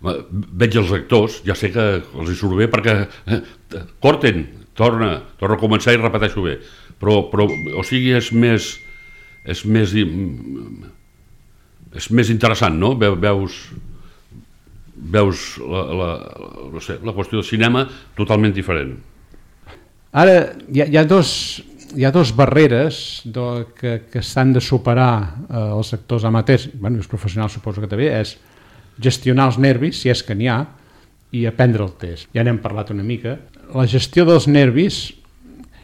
veig els actors, ja sé que els hi surt bé perquè corten, torna a començar i repeteixo bé. Però o sigui, és més interessant, no? Veus la qüestió del cinema totalment diferent. Ara, hi ha dos barreres que s'han de superar els actors amateurs, bueno, els professionals suposo que també, és gestionar els nervis, si és que n'hi ha, i aprendre el test. Ja n'hem parlat una mica. La gestió dels nervis,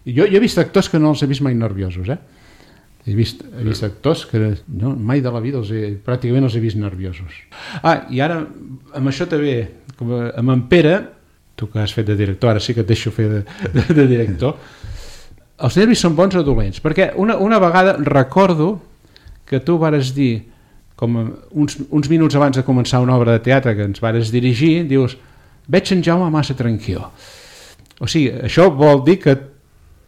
jo he vist actors que no els he vist mai nerviosos, He vist actors que mai de la vida pràcticament els he vist nerviosos. I ara, amb això també, com amb en Pere, tu que has fet de director, ara sí que et deixo fer de director, els nervis són bons o dolents? Perquè una vegada recordo que tu vares dir, com uns minuts abans de començar una obra de teatre que ens vares dirigir, dius, veig en Jaume massa tranquil. O sigui, això vol dir que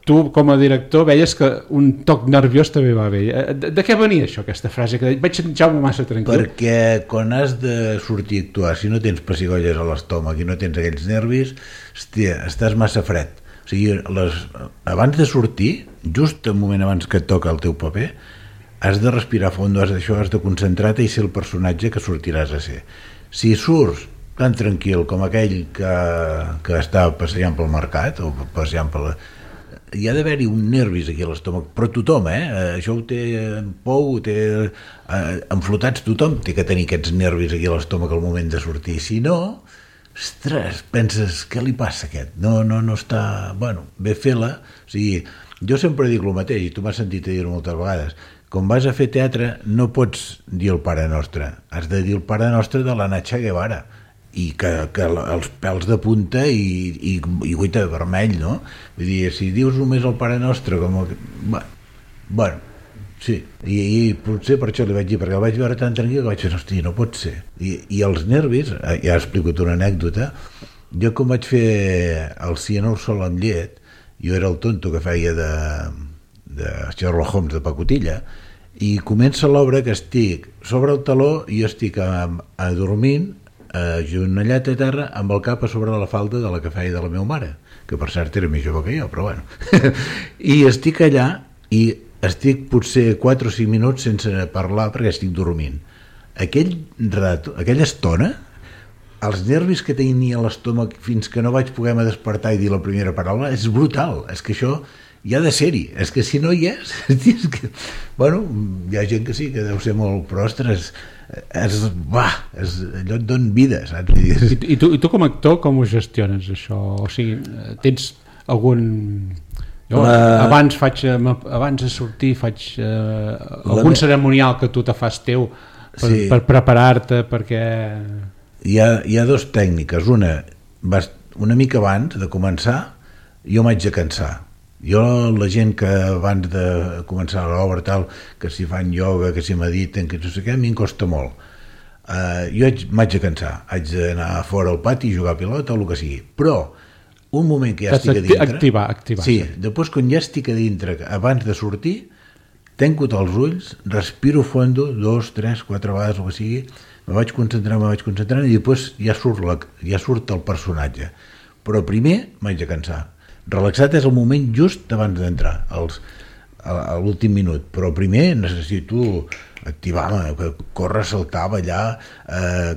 tu com a director veies que un toc nerviós també va bé. De què venia això, aquesta frase? Que veig en Jaume massa tranquil. Perquè quan has de sortir a actuar, si no tens pessigolles a l'estómac i no tens aquells nervis, hòstia, estàs massa fred. O sigui, abans de sortir, just un moment abans que et toca el teu paper, has de respirar fondo, has de concentrar-te i ser el personatge que sortiràs a ser. Si surts tan tranquil com aquell que està passejant pel mercat o passejant per hi ha d'haver-hi un nervis aquí a l'estómac, però tothom, això ho té en Pou, ho té enflotats, tothom té que tenir aquests nervis aquí a l'estómac al moment de sortir, si no, ostres, penses, què li passa a aquest? No està, bueno, bé fer-la, o sigui, jo sempre dic el mateix, i tu m'has sentit a dir-ho moltes vegades, quan vas a fer teatre no pots dir el Pare Nostre, has de dir el Pare Nostre de la Nacha Guevara, i que els pèls de punta i guita de vermell, no? Vull dir, si dius només el Pare Nostre com el... Bueno, sí, i potser per això li vaig dir, perquè el vaig veure tan tranquil que vaig dir, hòstia, no pot ser. I els nervis, ja he explicat una anècdota, jo com vaig fer el Cianur sol amb llet, jo era el tonto que feia de Sherlock Holmes de pacotilla, i comença l'obra que estic sobre el taló i jo estic adormint agenollat a terra amb el cap a sobre de la falda de la que feia de la meva mare, que per cert era més jove que jo, però bueno. I estic allà i estic potser 4 o 5 minuts sense parlar perquè estic dormint. Aquella estona, els nervis que tenia a l'estómac fins que no vaig poder despertar i dir la primera paraula, és brutal. És que això hi ha de ser-hi. És que si no hi és que... Bueno, hi ha gent que sí, que deu ser molt... Però, ostres, allò et dona vida, saps? I tu com a actor com ho gestiones això? O sigui, tens algun... Abans de sortir faig algun cerimonial que tu te fas teu per preparar-te perquè... Hi ha dues tècniques. Una mica abans de començar jo m'haig de cansar. La gent que abans de començar l'obra tal, que si fan ioga, que si mediten, que no sé què, a mi em costa molt. Jo m'haig de cansar, haig d'anar fora al pati, jugar a pilota o el que sigui, però un moment que ja estic a dintre... Activar. Sí, després quan ja estic a dintre, abans de sortir, tanco els ulls, respiro fondo, 2, 3, 4 vegades, el que sigui, me vaig concentrant i després ja surt el personatge. Però primer m'haig de cansar. Relaxat és el moment just abans d'entrar, a l'últim minut, però primer necessito activar-me, córrer, saltar, ballar,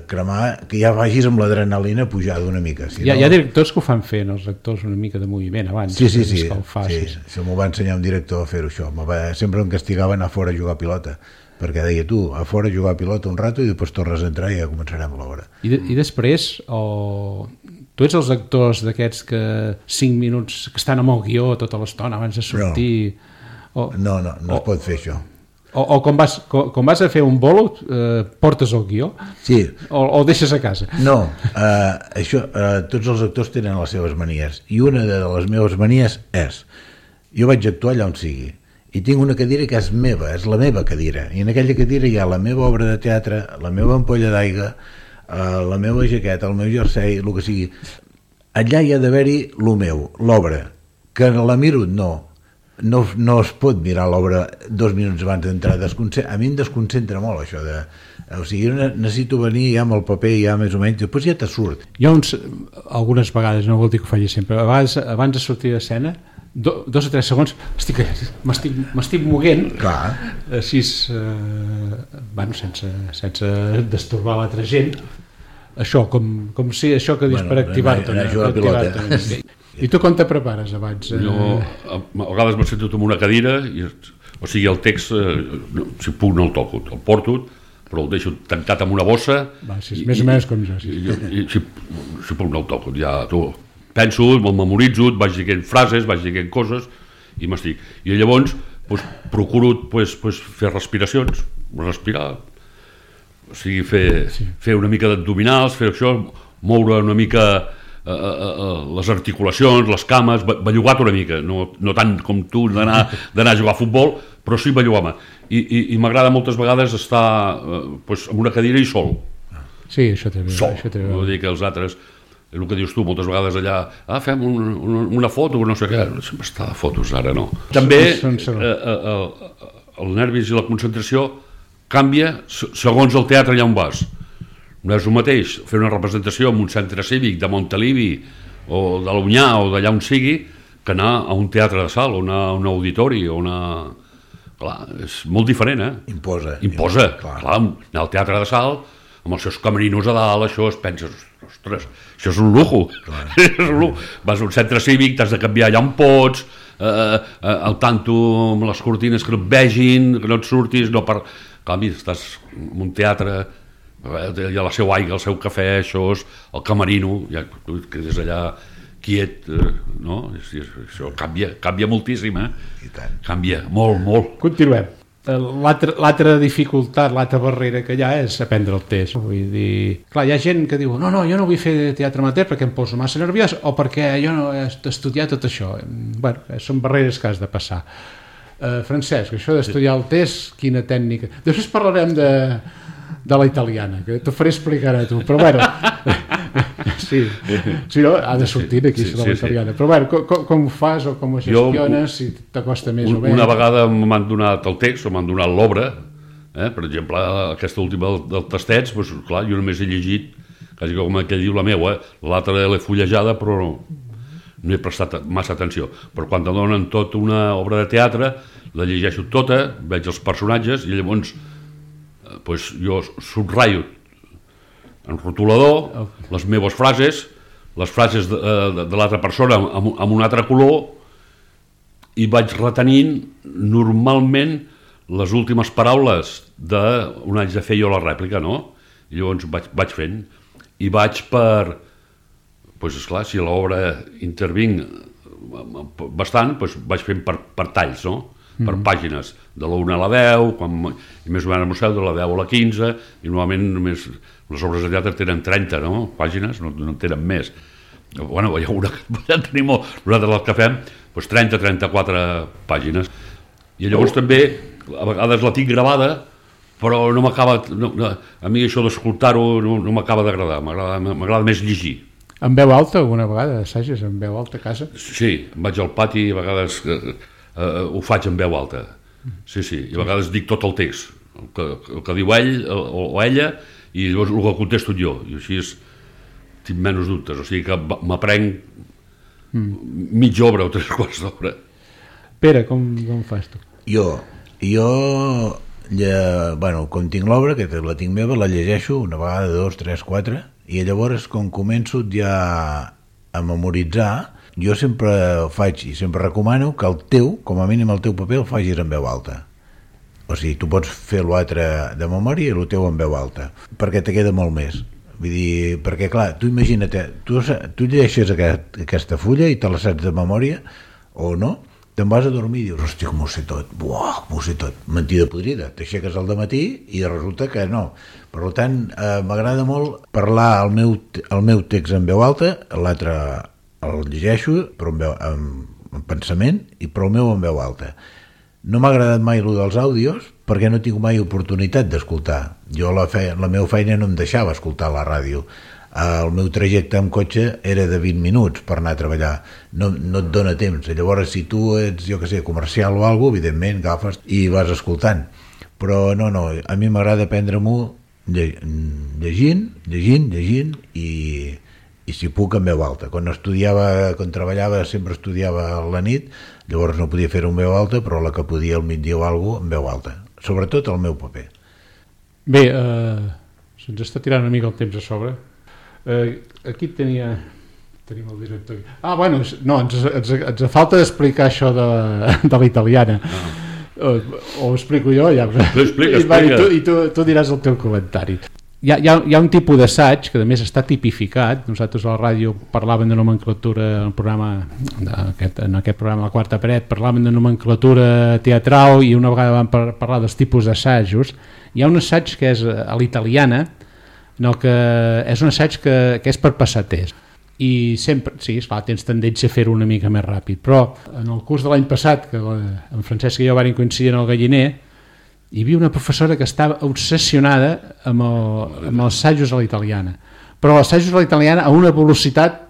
cremar, que ja vagis amb l'adrenalina pujada una mica. Hi ha directors que ho fan fent, els actors una mica de moviment abans. Sí, m'ho va ensenyar un director a fer-ho això, sempre em castigava anar fora a jugar a pilota, perquè deia tu, a fora a jugar a pilota un rato i després tornes a entrar i ja començarem l'obra. I després, tu ets els actors d'aquests que 5 minuts que estan amb el guió tota l'estona abans de sortir... No es pot fer això. O quan vas a fer un bolo, portes el guió? Sí. O el deixes a casa? No, tots els actors tenen les seves manies, i una de les meves manies és, jo vaig actuar allà on sigui, i tinc una cadira que és meva, és la meva cadira, i en aquella cadira hi ha la meva obra de teatre, la meva ampolla d'aigua, la meva jaqueta, el meu jersei, el que sigui. Allà hi ha d'haver-hi el meu, l'obra, que la miro, no es pot mirar l'obra 2 minuts abans d'entrar. A mi em desconcentra molt això de... O sigui, necessito venir ja amb el paper ja més o menys, després ja te surt. Jo algunes vegades, no vol dir que ho faci sempre, a vegades abans de sortir d'escena 2 o 3 segons m'estic moguent així sense destorbar l'altra gent, això com si això que dius per activar-te. I tu com te prepares abans? Jo a vegades m'he sentit en una cadira, o sigui el text si puc no el toco, el porto, però el deixo tancat amb una bossa. Més o menys com jo. Si puc no el toco, ja penso, me'l memoritzo, vaig dient frases, vaig dient coses i m'estic. I llavors procuro fer respiracions, respirar, o sigui, fer una mica d'abdominals, fer això, moure una mica les articulacions, les cames, bellugar-te una mica, no tant com tu d'anar a jugar a futbol, però sí bellugar-me. I m'agrada moltes vegades estar en una cadira i sol. Sí, això també. Sol, no vull dir que els altres... El que dius tu, moltes vegades allà, fem una foto, no sé què, sempre està de fotos ara, no. També el nervis i la concentració canvia segons el teatre allà on vas. No és el mateix fer una representació en un centre cívic de Montalivi o de l'Unyà o d'allà on sigui que anar a un teatre de sala o anar a un auditori o anar... Clar, és molt diferent, Imposa. Clar, anar al teatre de sala amb els seus camerinos a dalt, això es penses, ostres, això és un lujo. Vas a un centre cívic, t'has de canviar allà on pots, al tanto amb les cortines que no et vegin, que no et surtis, no per... Clar, estàs en un teatre, hi ha la seva aigua, el seu cafè, això és el camerino, ja que és allà quiet, no? Això canvia moltíssim, I tant. Canvia, molt. Continuem. L'altra dificultat, l'altra barrera que hi ha és aprendre el text. Vull dir, clar, hi ha gent que diu no, jo no vull fer teatre amateur perquè em poso massa nerviós o perquè jo no he estudiat tot això. Bueno, són barreres que has de passar. Francesc, això d'estudiar el text, quina tècnica... Després parlarem de la italiana, que t'ho faré explicar a tu, però bueno... Sí, no, ha de sortir d'aquí de la italiana. Però bueno, com ho fas o com ho gestiones, si t'acosta més o menys? Una vegada m'han donat el text o m'han donat l'obra, per exemple, aquesta última del Tastets, doncs clar, jo només he llegit, quasi com aquell diu la meva, l'altra l'he fullejada, però no he prestat massa atenció. Però quan te donen tota una obra de teatre, la llegeixo tota, veig els personatges i llavors jo subratllo en rotulador les meves frases, les frases de l'altra persona amb un altre color, i vaig retenint normalment les últimes paraules d'un haig de fer jo la rèplica, no? I llavors vaig fent i vaig per... Doncs esclar, si a l'obra intervinc bastant, vaig fent per talls, no? Per pàgines, de la 1 a la 10, i més o menys de la 10 a la 15, i normalment només les obres de teatre tenen 30 pàgines, no tenen més. Bueno, hi ha una que tenim molt, nosaltres el que fem, 30-34 pàgines. I llavors també, a vegades la tinc gravada, però no m'acaba... A mi això d'escoltar-ho no m'acaba d'agradar, m'agrada més llegir. En veu alta, alguna vegada, assages en veu alta a casa? Sí, vaig al pati i a vegades ho faig en veu alta. Sí, i a vegades dic tot el text, el que diu ell o ella, i llavors el que contesto jo, i així tinc menys dubtes, o sigui que m'aprenc mitja obra o 3 quarts d'obra. Pere, com fas tu? Jo, com tinc l'obra, que la tinc meva, la llegeixo una vegada, 2, 3, 4, i llavors quan començo ja a memoritzar, jo sempre faig i sempre recomano que el teu, com a mínim el teu paper, el facis en veu alta. O sigui, tu pots fer l'altre de memòria i el teu en veu alta, perquè te queda molt més. Vull dir, perquè clar, tu imagina't, tu llegeixes aquesta fulla i te la saps de memòria, o no, te'n vas a dormir i dius, hòstia, com ho sé tot, com ho sé tot, mentida podrida, t'aixeques al dematí i resulta que no. Per tant, m'agrada molt parlar el meu text en veu alta, l'altre el llegeixo però en pensament, però el meu en veu alta. No m'ha agradat mai allò dels àudios perquè no tinc mai oportunitat d'escoltar. Jo la meva feina no em deixava escoltar la ràdio. El meu trajecte amb cotxe era de 20 minuts per anar a treballar. No et dona temps. Llavors, si tu ets, jo que sé, comercial o alguna cosa, evidentment agafes i vas escoltant. Però no, a mi m'agrada prendre-m'ho llegint i si puc en veu alta. Quan treballava sempre estudiava a la nit, llavors no podia fer-ho en veu alta, però la que podia al migdia o alguna cosa en veu alta, sobretot el meu paper. Bé, se'ns està tirant una mica el temps a sobre. Aquí tenim el director. Bueno, no, ens falta d'explicar això de la italiana. O ho explico jo, ja. Explica. I tu diràs el teu comentari. Hi ha un tipus d'assaig que a més està tipificat. Nosaltres a la ràdio parlàvem de nomenclatura en aquest programa La Quarta Paret, parlàvem de nomenclatura teatral i una vegada vam parlar dels tipus d'assajos. Hi ha un assaig que és a l'italiana, que és un assaig que és per passaters. I sempre, sí, esclar, tens tendència a fer-ho una mica més ràpid, però en el curs de l'any passat, que en Francesc i jo vam coincidir en el Galliner, hi havia una professora que estava obsessionada amb els assajos a la italiana, però els assajos a la italiana a una velocitat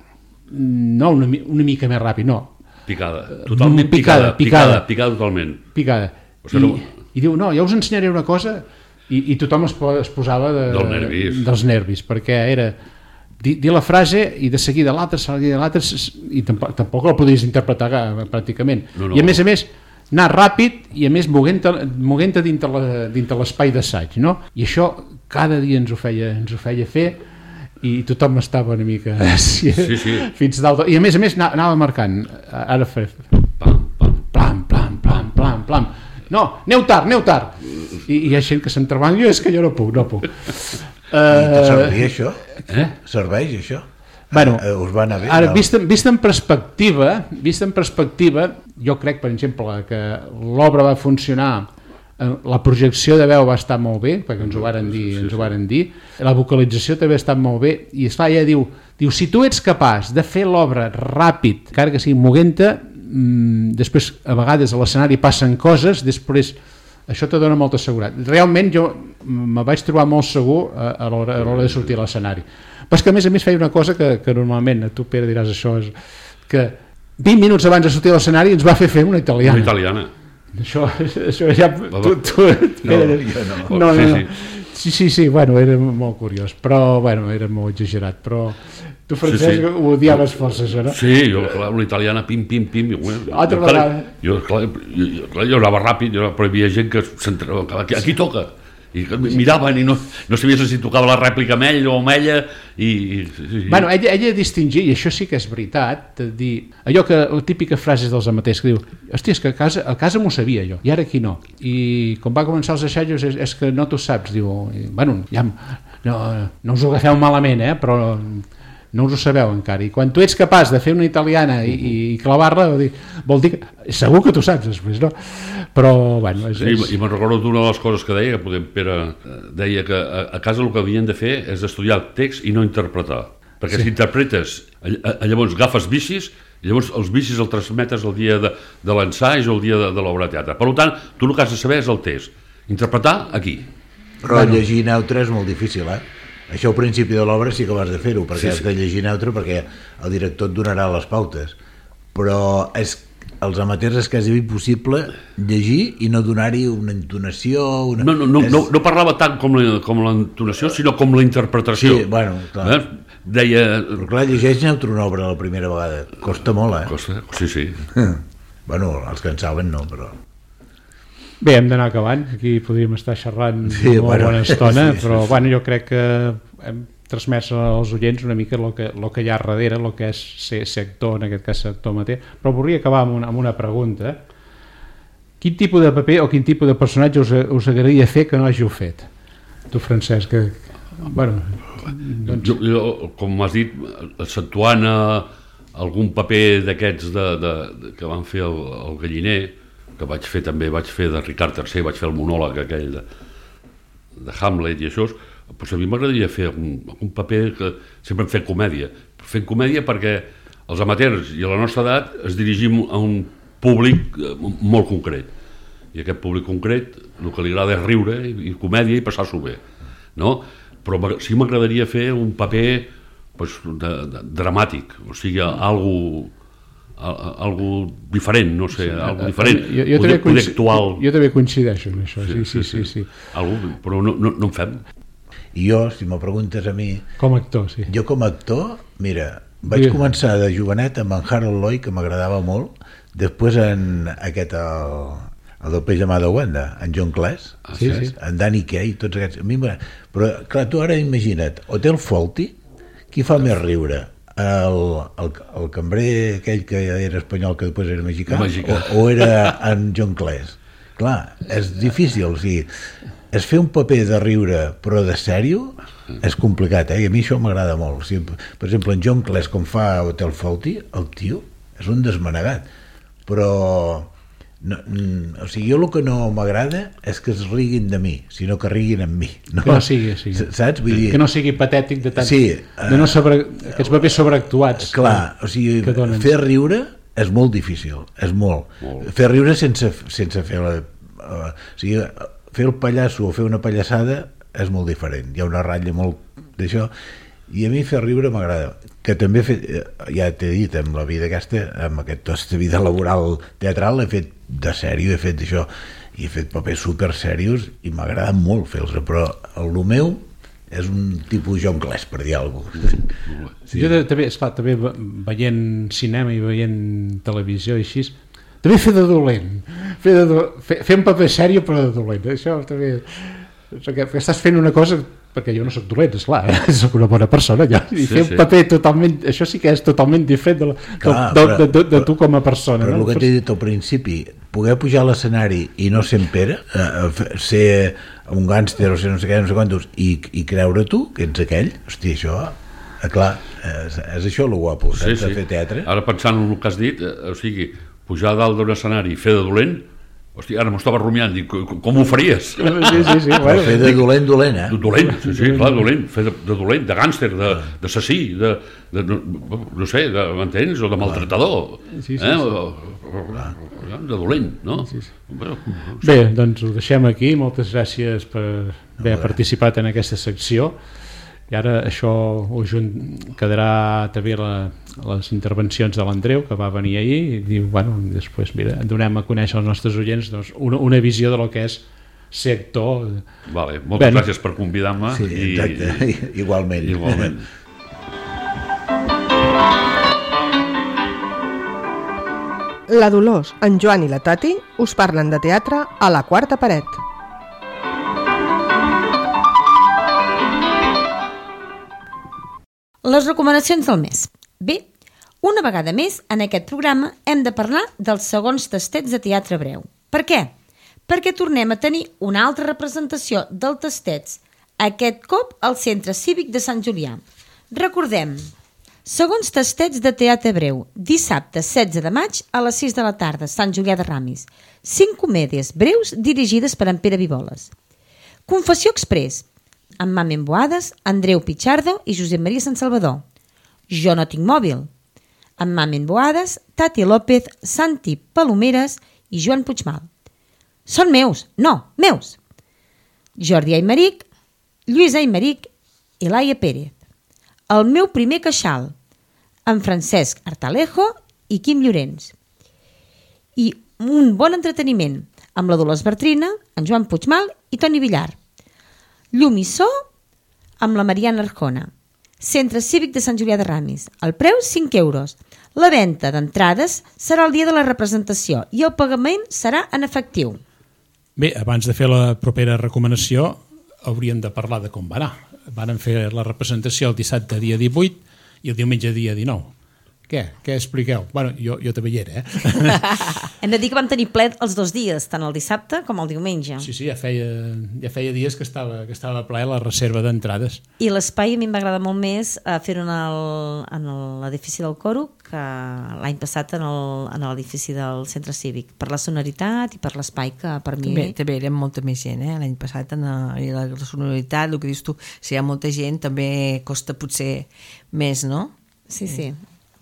no una mica més ràpid, no. Picada, totalment picada totalment. Picada. I diu, no, ja us ensenyaré una cosa, i tothom es posava dels nervis, perquè era dir la frase i de seguida l'altra i tampoc la podies interpretar pràcticament. I a més anar ràpid i a més moguent-te dintre l'espai d'assaig, no? I això cada dia ens ho feia fer i tothom estava una mica fins dalt, i a més anava marcant, ara fer plam, no, aneu tard i hi ha gent que s'entrebant, és que jo no puc. Serveix això? Serveix això? Bueno, us va anar bé? Ara, vist en perspectiva, jo crec, per exemple, que l'obra va funcionar, la projecció de veu va estar molt bé, perquè ens ho varen dir, la vocalització també ha estat molt bé, i esclar, ella diu, si tu ets capaç de fer l'obra ràpid, encara que sigui moguent-te, després a vegades a l'escenari passen coses, després això te dona molta seguretat. Realment jo me vaig trobar molt segur a l'hora de sortir a l'escenari. Però és que a més feia una cosa que normalment, tu Pere diràs això, és que 20 minuts abans de sortir a l'escenari ens va fer una italiana. Una italiana. Això ja... No. Sí, bueno, era molt curiós, però bueno, era molt exagerat, però tu, Francesc, ho odiaves força, això, no? Sí, jo, clar, una italiana, pim, altra vegada. Jo anava ràpid, però hi havia gent que s'entrava, aquí toca, i miraven i no sabies si tocava la rèplica amb ell o amb ella, i... Bueno, ella distingia, i això sí que és veritat, de dir, allò que, la típica frase dels amateurs que diu, hòstia, és que a casa m'ho sabia jo, i ara aquí no, i quan va començar els assajos és que no t'ho saps, diu, bueno, ja no us ho agafeu malament, però no us ho sabeu encara, i quan tu ets capaç de fer una italiana i clavar-la, vol dir que segur que tu saps després, no? Però, bueno... I me'n recordo d'una de les coses que deia, que Pere deia que a casa el que havien de fer és estudiar el text i no interpretar, perquè si interpretes, llavors agafes vicis, i llavors els vicis els transmetes el dia de l'ensaig o el dia de l'obra de teatre. Per tant, tu el que has de saber és el text, interpretar aquí. Però llegir neutre és molt difícil, Això al principi de l'obra sí que vas de fer-ho, perquè has de llegir neutre, perquè el director et donarà les pautes. Però els amateurs és quasi impossible llegir i no donar-hi una entonació... No parlava tant com l'entonació, sinó com la interpretació. Sí, bueno, clar. Deia... Però clar, llegeix neutre una obra la primera vegada. Costa molt, Costa, sí. Bueno, els que en saben no, però... Bé, hem d'anar acabant, aquí podríem estar xerrant una bona estona, però bueno, jo crec que hem transmès als oients una mica el que hi ha darrere, el que és ser actor, en aquest cas ser actor amateur, però volia acabar amb una pregunta. Quin tipus de paper o quin tipus de personatge us agradaria fer que no hàgiu fet? Tu, Francesc, bueno... Jo, com m'has dit, exceptuant algun paper d'aquests que van fer el Galliner, que vaig fer de Ricard III, vaig fer el monòleg aquell de Hamlet i això, doncs a mi m'agradaria fer un paper que sempre hem fet comèdia. Fem comèdia perquè els amateurs i a la nostra edat es dirigim a un públic molt concret. I aquest públic concret, el que li agrada és riure i comèdia i passar-s'ho bé, no? Però sí m'agradaria fer un paper dramàtic, o sigui, algo diferent, no sé, algo diferent, poder actual. Jo també coincideixo amb això, sí. Però no en fem. I jo, si m'ho preguntes a mi... Com a actor, sí. Jo com a actor, mira, vaig començar de jovenet amb en Harold Lloyd, que m'agradava molt, després en aquest... el del peix de mà de Wanda, en John Cleese, en Danny Kaye, tots aquests... Però, clar, tu ara imagina't, Hotel Fawlty, qui fa més riure? El cambrer aquell que era espanyol que després era mexicà, o era en John Cleese? Clar, és difícil, o sigui, és fer un paper de riure però de sèrio és complicat, i a mi això m'agrada molt. O sigui, per exemple, en John Cleese, com fa Hotel Fawlty, el tio és un desmanegat, però o sigui, jo el que no m'agrada és que es riguin de mi, sinó que riguin amb mi, no? Que no sigui, saps? Vull dir... que no sigui patètic de tant, de no aquests papers sobreactuats. Clar, o sigui, fer riure és molt difícil, és molt. Fer riure sense fer o sigui, fer el pallasso o fer una pallassada és molt diferent, hi ha una ratlla molt d'això, i a mi fer riure m'agrada, que també he fet, ja t'he dit, amb la vida aquesta, amb aquesta vida laboral teatral, he fet de sèrio, he fet això, i he fet papers super serios i m'agrada molt fer-los, però el meu és un tipus John Cleese, per dir alguna cosa. Jo també, esclar, també veient cinema i veient televisió i així, també fer de dolent, fer un paper sèrio però de dolent, això també, perquè estàs fent una cosa, perquè jo no soc dolent, esclar, soc una bona persona ja, i fer un paper totalment, això sí que és totalment diferent de tu com a persona. Però el que t'he dit al principi, poder pujar a l'escenari i no ser en Pere, ser un gàngster o ser no sé què, no sé quantos, i creure tu que ets aquell, hosti, això, clar, és això el guapo, de fer teatre. Ara pensant en el que has dit, o sigui, pujar dalt d'un escenari i fer de dolent, hòstia, ara m'ho estava rumiant, dic, com ho faries? Sí, bueno. Fer de dolent, Dolent, sí, clar, dolent, fer de dolent, de gàngster, d'assassí, no sé, m'entens? O de maltratador, de dolent, no? Bé, doncs ho deixem aquí, moltes gràcies per haver participat en aquesta secció, i ara això quedarà també les intervencions de l'Andreu, que va venir ahir, i diu, bueno, després mira, donem a conèixer als nostres oients una visió de lo que és ser actor. Vale, moltes gràcies per convidar-me. Sí, exacte, igualment. La Dolors, en Joan i la Tati us parlen de teatre a la quarta paret. Les recomanacions del mes. Bé, una vegada més, en aquest programa hem de parlar dels segons tastets de teatre breu. Per què? Perquè tornem a tenir una altra representació del tastets, aquest cop al Centre Cívic de Sant Julià. Recordem, segons tastets de teatre breu, dissabte 16 de maig a les 6 de la tarda, Sant Julià de Ramis. 5 comèdies breus dirigides per en Pere Viboles. Confessió Express, amb Mamen Boades, Andreu Pichardo i Josep Maria Sant Salvador. Jo no tinc mòbil, amb Mamen Boades, Tati López, Santi Palomeres i Joan Puigmal. Són meus, meus. Jordi Aymeric, Lluís Aymeric i Laia Pérez. El meu primer queixal, amb Francesc Artalejo i Quim Llorenç. I un bon entreteniment, amb la Dolors Bertrina, en Joan Puigmal i Toni Villar. Llum i so amb la Mariana Arjona. Centre Cívic de Sant Julià de Ramis. El preu 5 euros. La venda d'entrades serà el dia de la representació i el pagament serà en efectiu. Bé, abans de fer la propera recomanació hauríem de parlar de com va anar. Varen fer la representació el dissabte dia 18 i el diumenge dia 19. Què expliqueu? Bueno, jo també hi era, Hem de dir que vam tenir ple els 2 dies, tant el dissabte com el diumenge. Sí, ja feia dies que estava ple la reserva d'entrades. I l'espai a mi em va agradar molt més fer-ho en l'edifici del Coro que l'any passat en l'edifici del Centre Cívic, per la sonoritat i per l'espai que per mi... També érem molta més gent, l'any passat i la sonoritat, el que dius tu, si hi ha molta gent també costa potser més, no? Sí.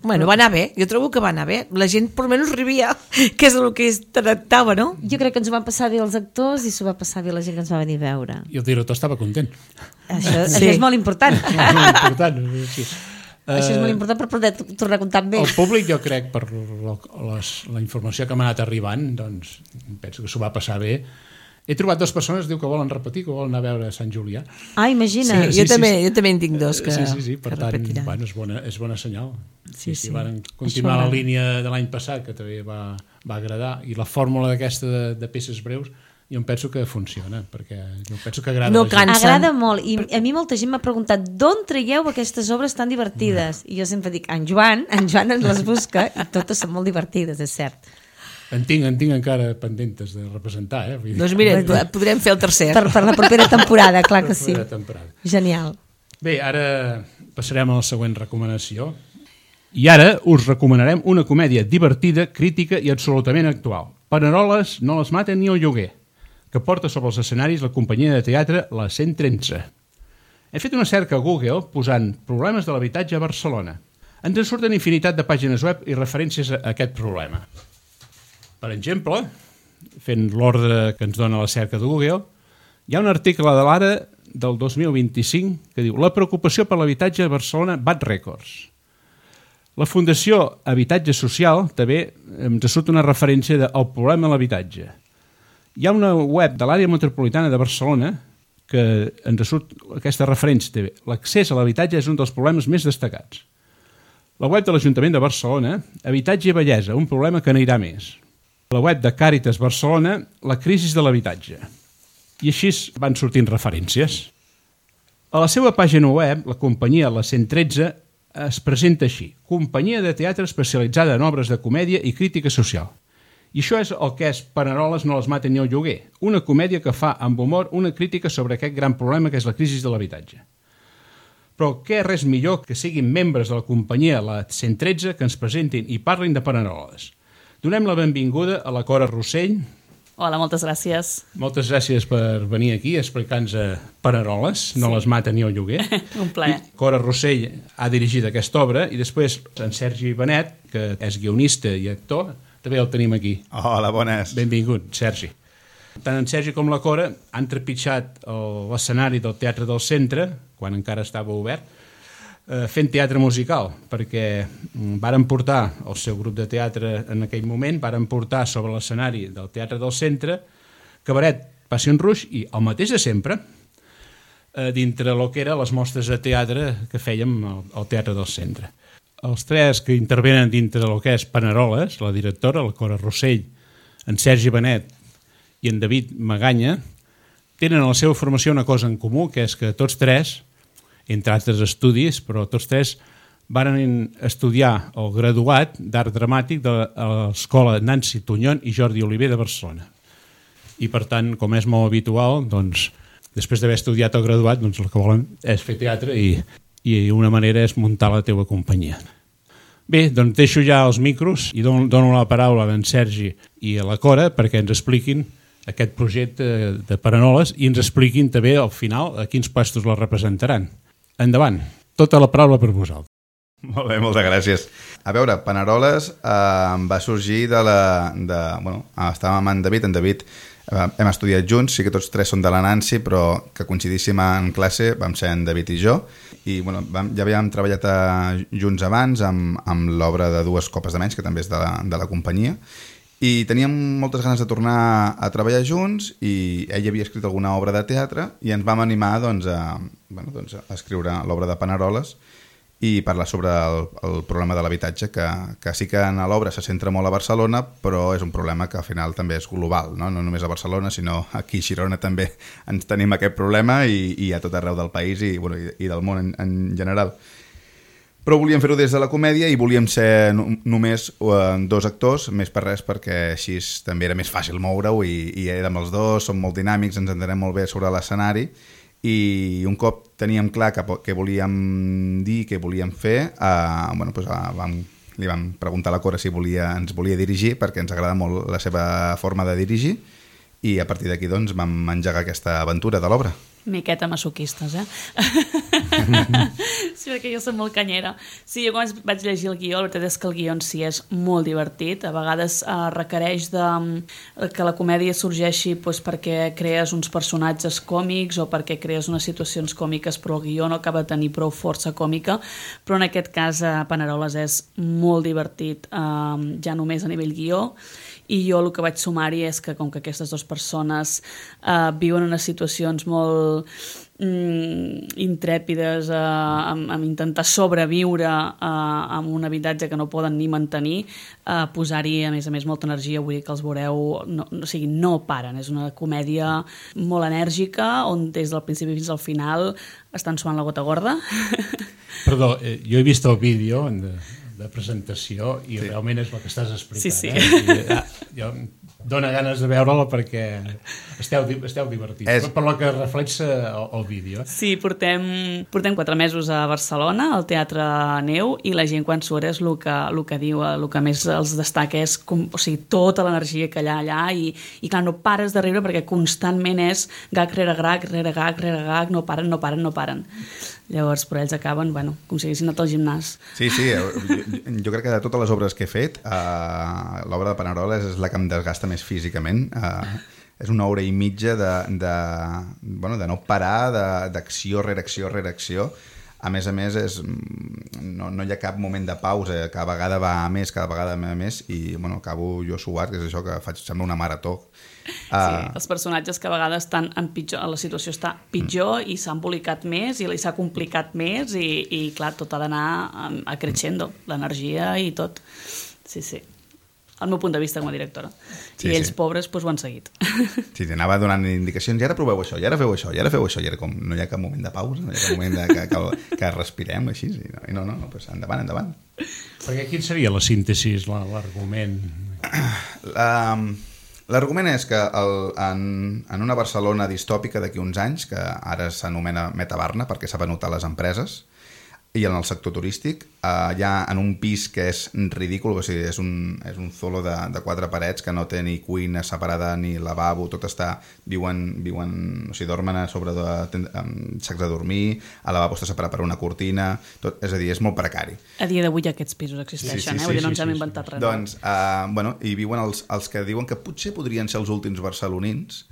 Bueno, va anar bé, jo trobo que va anar bé. La gent, per almenys, rivia, que és el que es tractava, no? Jo crec que ens ho van passar bé els actors i s'ho va passar bé la gent que ens va venir a veure. I el director estava content. Això és molt important. Molt important, sí. Això és molt important per poder tornar a comptar amb ell. El públic, jo crec, per la informació que m'ha anat arribant, doncs penso que s'ho va passar bé. He trobat 2 persones, diu que volen repetir, que volen anar a veure Sant Julià. Ah, imagina. Sí, jo també en tinc 2 que Sí, per tant, bueno, és bona senyal. Sí. Van continuar la línia de l'any passat, que també va agradar, i la fórmula d'aquesta de peces breus, jo em penso que funciona, perquè jo penso que agrada no a la gent. Agrada molt, i a mi molta gent m'ha preguntat d'on traieu aquestes obres tan divertides? I jo sempre dic, en Joan ens les busca, i totes són molt divertides, és cert. En tinc encara pendentes de representar, Vull dir. Doncs mira, podrem fer el tercer. Per la propera temporada, clar que sí. Genial. Bé, ara passarem a la següent recomanació. I ara us recomanarem una comèdia divertida, crítica i absolutament actual. Paneroles no les maten ni el lloguer, que porta sobre els escenaris la companyia de teatre La 113. He fet una cerca a Google posant problemes de l'habitatge a Barcelona. Ens en surten infinitat de pàgines web i referències a aquest problema. Per exemple, fent l'ordre que ens dona la cerca de Google, hi ha un article de l'Ara del 2025 que diu «La preocupació per l'habitatge a Barcelona bat rècords». La Fundació Habitatge Social també ens surt una referència del problema de l'habitatge. Hi ha una web de l'àrea metropolitana de Barcelona que ens surt aquesta referència també. L'accés a l'habitatge és un dels problemes més destacats. La web de l'Ajuntament de Barcelona, Habitatge i Bellesa, un problema que n'anirà més. La web de Càritas Barcelona, la crisi de l'habitatge. I així van sortint referències. A la seva pàgina web, la companyia La 113 es presenta així: companyia de teatre especialitzada en obres de comèdia i crítica social. I això és el que és Paneroles no les maten ni el lloguer, una comèdia que fa amb humor una crítica sobre aquest gran problema que és la crisi de l'habitatge. Però què res millor que siguin membres de la companyia La 113 que ens presentin i parlin de Paneroles. Donem la benvinguda a la Cora Rossell. Hola, moltes gràcies. Moltes gràcies per venir aquí a explicar-nos Paneroles, no les mata ni el lloguer. Un plaer. Cora Rossell ha dirigit aquesta obra i després en Sergi Benet, que és guionista i actor, també el tenim aquí. Hola, bones. Benvingut, Sergi. Tant en Sergi com la Cora han trepitjat l'escenari del Teatre del Centre, quan encara estava obert, fent teatre musical, perquè varen portar el seu grup de teatre en aquell moment, varen portar sobre l'escenari del Teatre del Centre Cabaret, Passion Rouge i el mateix de sempre dintre el que eren les mostres de teatre que fèiem al Teatre del Centre. Els 3 que intervenen dintre del que és Paneroles, la directora, la Cora Rossell, en Sergi Benet i en David Maganya, tenen a la seva formació una cosa en comú, que és que tots 3, entre altres estudis, però tots 3 van estudiar el graduat d'art dramàtic de l'escola Nancy Tuñón i Jordi Oliver de Barcelona. I per tant, com és molt habitual, doncs, després d'haver estudiat el graduat, doncs el que volen és fer teatre i una manera és muntar la teva companyia. Bé, doncs deixo ja els micros i dono la paraula a en Sergi i a la Cora perquè ens expliquin aquest projecte de Paneroles i ens expliquin també al final a quins puestos la representaran. Endavant, tota la paraula per vosaltres. Molt bé, moltes gràcies. A veure, Paneroles va sorgir estàvem amb en David hem estudiat junts, sí que tots 3 són de la Nancy, però que coincidíssim en classe vam ser en David i jo, i ja havíem treballat junts abans amb l'obra de 2 copes de menys, que també és de la companyia, i teníem moltes ganes de tornar a treballar junts i ell havia escrit alguna obra de teatre i ens vam animar a escriure l'obra de Paneroles i parlar sobre el problema de l'habitatge, que sí que en l'obra se centra molt a Barcelona, però és un problema que al final també és global, no només a Barcelona, sinó aquí a Girona també ens tenim aquest problema i a tot arreu del país i del món en general. Però volíem fer-ho des de la comèdia i volíem ser només 2 actors, més per res perquè així també era més fàcil moure-ho i érem els 2, som molt dinàmics, ens entenem molt bé sobre l'escenari i un cop teníem clar què volíem dir, què volíem fer, li vam preguntar a la Cora si ens volia dirigir perquè ens agrada molt la seva forma de dirigir i a partir d'aquí vam engegar aquesta aventura de l'obra. Miqueta masoquistes, Sí, perquè jo soc molt canyera. Sí, jo quan vaig llegir el guió, la veritat és que el guió en si és molt divertit. A vegades requereix que la comèdia sorgeixi perquè crees uns personatges còmics o perquè crees unes situacions còmiques, però el guió no acaba de tenir prou força còmica. Però en aquest cas, Paneroles és molt divertit, ja només a nivell guió. I jo el que vaig sumar-hi és que com que aquestes dues persones viuen unes situacions molt intrèpides amb intentar sobreviure en un habitatge que no poden ni mantenir, posar-hi a més molta energia, vull dir que els veureu, no paren, és una comèdia molt enèrgica on des del principi fins al final estan suant la gota gorda. Perdó, jo he vist el vídeo de presentació i realment és el que estàs explicant. Jo dóna ganes de veure-la perquè esteu divertits, per lo que reflexa el vídeo. Sí, portem 4 mesos a Barcelona, al Teatre Neu, i la gent quan surt és el que diu, el que més els destaca és tota l'energia que hi ha allà i clar, no pares de riure perquè constantment és gag rere gag, no paren. Llavors, però ells acaben, com si haguessin anat al gimnàs. Sí, jo crec que de totes les obres que he fet, l'obra de Paneroles és la que em desgasta més físicament. És una hora i mitja de no parar, d'acció rere acció. A més, no hi ha cap moment de pausa, cada vegada va a més, i acabo jo suat, que és això que faig, sembla una marató. Sí, els personatges que a vegades estan la situació està pitjor i s'ha embolicat més i s'ha complicat més i clar, tot ha d'anar creixendo, l'energia i tot. Sí. El meu punt de vista com a directora. I ells, pobres, ho han seguit. Sí, anava donant indicacions, i ara proveu això, i ara feu això, i era com, no hi ha cap moment de pausa, no hi ha cap moment que respirem, així, i no, endavant. Perquè quin seria la síntesi, l'argument? L'argument és que en una Barcelona distòpica d'aquí uns anys, que ara s'anomena Metabarna perquè s'ha venut a les empreses, i en el sector turístic, hi ha en un pis que és ridícul, o sigui, és un zolo de 4 parets que no té ni cuina separada ni lavabo, tot està, dormen a sobre de sacs de dormir, el lavabo està separat per una cortina, és a dir, és molt precari. A dia d'avui aquests pisos existeixen, vull dir, no ens hem inventat res. Doncs, hi viuen els que diuen que potser podrien ser els últims barcelonins,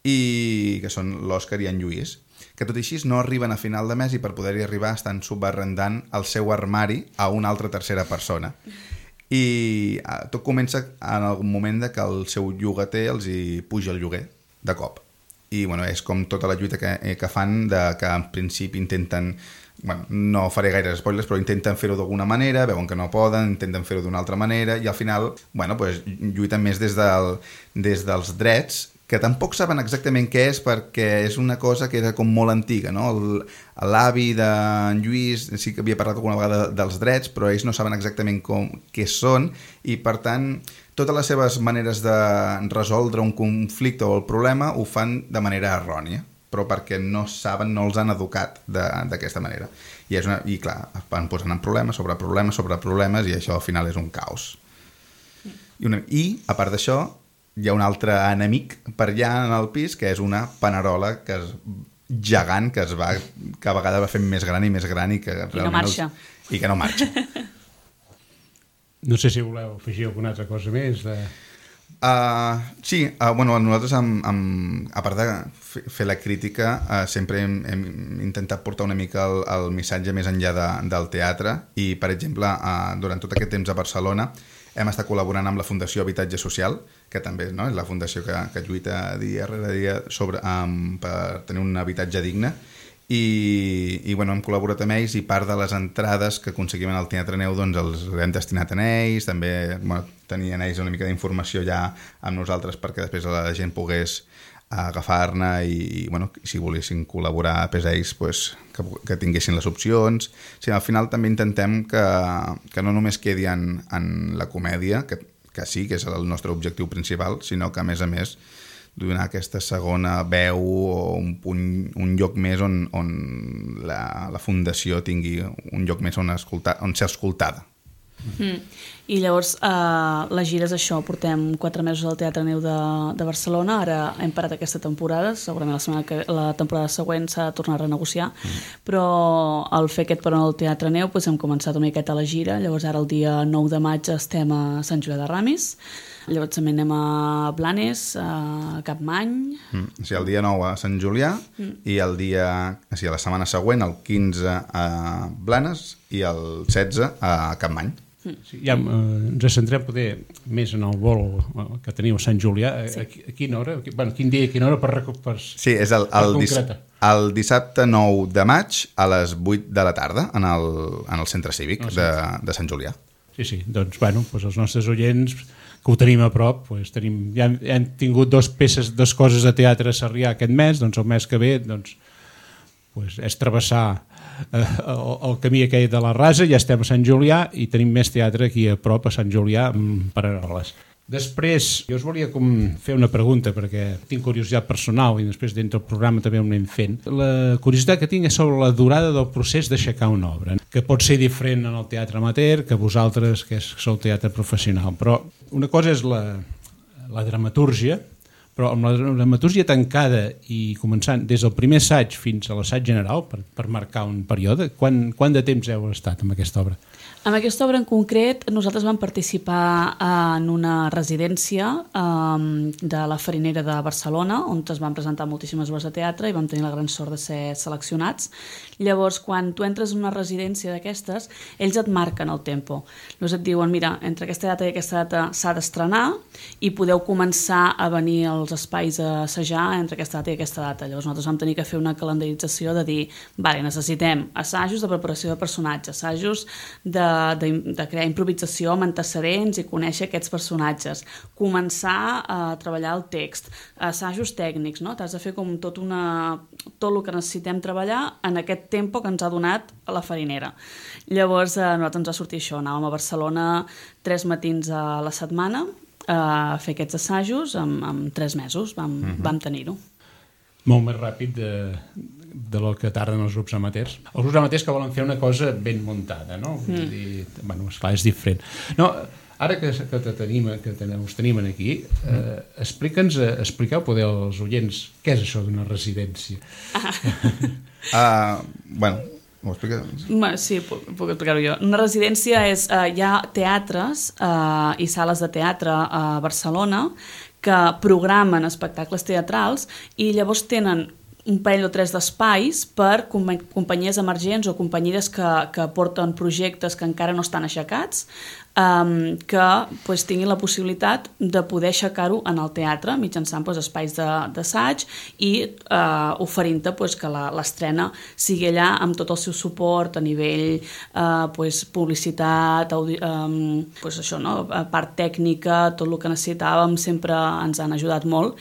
i que són l'Òscar i en Lluís, que tot i així no arriben a final de mes i per poder-hi arribar estan subarrendant el seu armari a una altra tercera persona. I tot comença en el moment que el seu llogater els hi puja el lloguer de cop. I és com tota la lluita que fan, que en principi intenten, no faré gaires spoilers, però intenten fer-ho d'alguna manera, veuen que no poden, intenten fer-ho d'una altra manera i al final lluiten més des dels drets, que tampoc saben exactament què és perquè és una cosa que era com molt antiga, no? L'avi d'en Lluís sí que havia parlat alguna vegada dels drets, però ells no saben exactament què són i, per tant, totes les seves maneres de resoldre un conflicte o el problema ho fan de manera errònia, però perquè no saben, no els han educat d'aquesta manera. I clar, van posant en problemes sobre problemes i això al final és un caos. I, a part d'això, hi ha un altre enemic per allà en el pis, que és una panerola gegant que a vegades va fent més gran i que no marxa. I que no marxa. No sé si voleu afegir alguna altra cosa més. Sí, nosaltres, a part de fer la crítica, sempre hem intentat portar una mica el missatge més enllà del teatre i, per exemple, durant tot aquest temps a Barcelona hem estat col·laborant amb la Fundació Habitatge Social, que també és la fundació que lluita dia rere dia per tenir un habitatge digne, i hem col·laborat amb ells i part de les entrades que aconseguim en el Teatre Neu els hem destinat a ells, també tenien ells una mica d'informació ja amb nosaltres perquè després la gent pogués agafar-ne i si volessin col·laborar per ells que tinguessin les opcions. Sí, al final també intentem que no només quedi en la comèdia, que sí, que és el nostre objectiu principal, sinó que a més donar aquesta segona veu o un lloc més on la fundació tingui un lloc més on ser escoltada. I llavors la gira és això, portem 4 mesos al Teatre Neu de Barcelona, ara hem parat aquesta temporada, segurament la temporada següent s'ha de tornar a renegociar, però al fer aquest peron al Teatre Neu hem començat una miqueta la gira, llavors ara el dia 9 de maig estem a Sant Julià de Ramis, llavors també anem a Blanes, a Capmany... O sigui, el dia 9 a Sant Julià i a la setmana següent, el 15 a Blanes i el 16 a Capmany. Sí, ja ens centrem poder més en el vol que teniu a Sant Julià. A quina hora? Quin dia i quina hora per sí, és el dissabte 9 de maig a les 8 de la tarda en el centre cívic de Sant Julià. Sí, doncs els nostres oients que ho tenim a prop, ja hem tingut dues coses de teatre a Sarrià aquest mes, doncs el mes que ve és travessar el camí aquell de la Rasa, ja estem a Sant Julià i tenim més teatre aquí a prop, a Sant Julià, per Aroles. Després, jo us volia fer una pregunta, perquè tinc curiositat personal i després dintre del programa també ho anem fent. La curiositat que tinc és sobre la durada del procés d'aixecar una obra, que pot ser diferent en el teatre amateur que vosaltres, que sou teatre professional. Però una cosa és la dramatúrgia, però amb la dramatúrgia tancada i començant des del primer assaig fins a l'assaig general, per marcar un període, quant de temps heu estat amb aquesta obra? Amb aquesta obra en concret nosaltres vam participar en una residència de la Farinera de Barcelona, on es van presentar moltíssimes obres de teatre i vam tenir la gran sort de ser seleccionats. Llavors, quan tu entres en una residència d'aquestes, ells et marquen el tempo. Llavors et diuen, mira, entre aquesta data i aquesta data s'ha d'estrenar i podeu començar a venir als espais a assajar entre aquesta data i aquesta data. Llavors nosaltres vam tenir que fer una calendarització de dir, vale, necessitem assajos de preparació de personatges, assajos de crear improvisació amb antecedents i conèixer aquests personatges, començar a treballar el text, assajos tècnics, no? T'has de fer com tot el que necessitem treballar en aquest tempo que ens ha donat a la Farinera. Llavors a nosaltres ens va sortir això, anàvem a Barcelona 3 matins a la setmana a fer aquests assajos en 3 mesos, vam tenir-ho. Molt més ràpid de lo que tarden els grups amateurs. Els grups amateurs que volen fer una cosa ben muntada, no? Esclar, és diferent. No, ara que us tenim aquí, expliqueu poder als oients què és això d'una residència. M'ho explica? Sí, puc explicar-ho jo. Una residència és, hi ha teatres i sales de teatre a Barcelona que programen espectacles teatrals i llavors tenen un parell o 3 d'espais per companyies emergents o companyies que porten projectes que encara no estan aixecats, que tinguin la possibilitat de poder aixecar-ho en el teatre mitjançant espais d'assaig i oferint-te que l'estrena sigui allà amb tot el seu suport a nivell publicitat, part tècnica, tot el que necessitàvem, sempre ens han ajudat molt.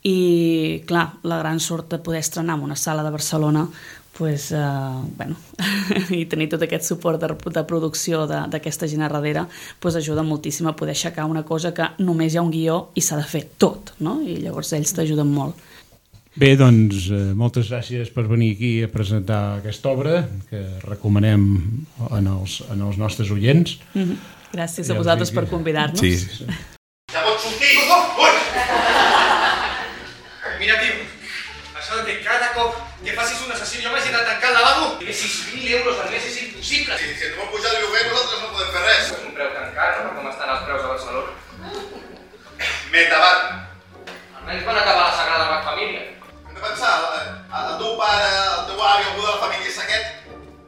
I, clar, la gran sort de poder estrenar en una sala de Barcelona i tenir tot aquest suport de producció d'aquesta gent a darrere ajuda moltíssim a poder aixecar una cosa que només hi ha un guió i s'ha de fer tot, no? I llavors ells t'ajuden molt. Bé, doncs, moltes gràcies per venir aquí a presentar aquesta obra que recomanem en els nostres oients. Gràcies a vosaltres per convidar-nos. Sí. Ja pots sortir! Mira, tio, això de que cada cop que facis un assassí jo m'hagi de tancar el lavabo i 6.000 euros al mes és impossible. Si et vol pujar el lloguer, nosaltres no podem fer res. És un preu tan car, no? Com estan els preus a Barcelona. Metabat. Almenys van acabar la Sagrada Família. Hem de pensar, el teu pare, el teu avi, algú de la família és aquest,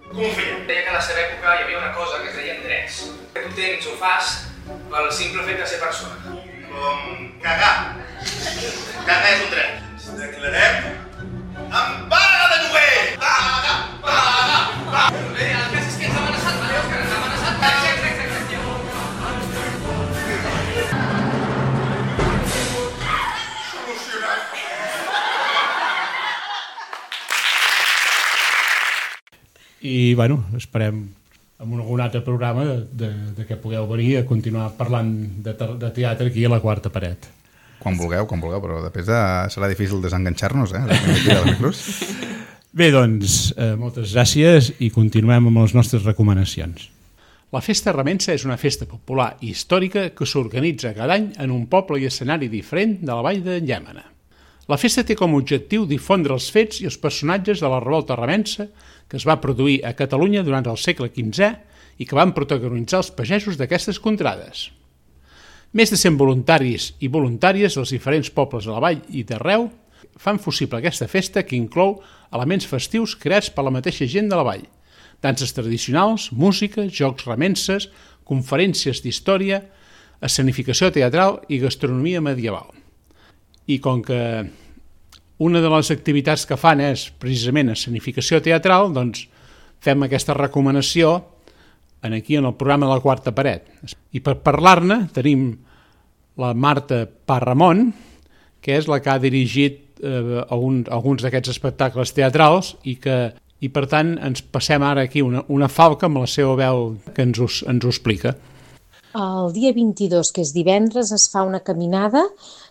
com ho feien? Deia que a la seva època hi havia una cosa que es deien drets. Que tu tens o fas pel simple fet de ser persona. Com cagar. Cagar és un dret. Ens declarem en vaga de lloguer! Vaga! Vaga! Vaga! Bé, el cas és que ens ha amenaçat, vale, Òscar? Ens ha amenaçat. Exacte. Solucionat. I, esperem en algun altre programa de que pugueu venir a continuar parlant de teatre aquí a la Quarta Paret. Quan vulgueu, però després serà difícil desenganxar-nos, Bé, doncs, moltes gràcies i continuem amb les nostres recomanacions. La Festa Remença és una festa popular i històrica que s'organitza cada any en un poble i escenari diferent de la vall de Llémena. La festa té com a objectiu difondre els fets i els personatges de la revolta remença que es va produir a Catalunya durant el segle XV i que van protagonitzar els pagesos d'aquestes contrades. Més de 100 voluntaris i voluntàries dels diferents pobles de la vall i d'arreu fan possible aquesta festa que inclou elements festius creats per la mateixa gent de la vall, danses tradicionals, música, jocs remences, conferències d'història, escenificació teatral i gastronomia medieval. I com que una de les activitats que fan és precisament escenificació teatral, doncs fem aquesta recomanació aquí en el programa de la Quarta Paret. I per parlar-ne tenim la Marta Parramon, que és la que ha dirigit alguns d'aquests espectacles teatrals i per tant ens passem ara aquí una falca amb la seva veu que ens ho explica. El dia 22, que és divendres, es fa una caminada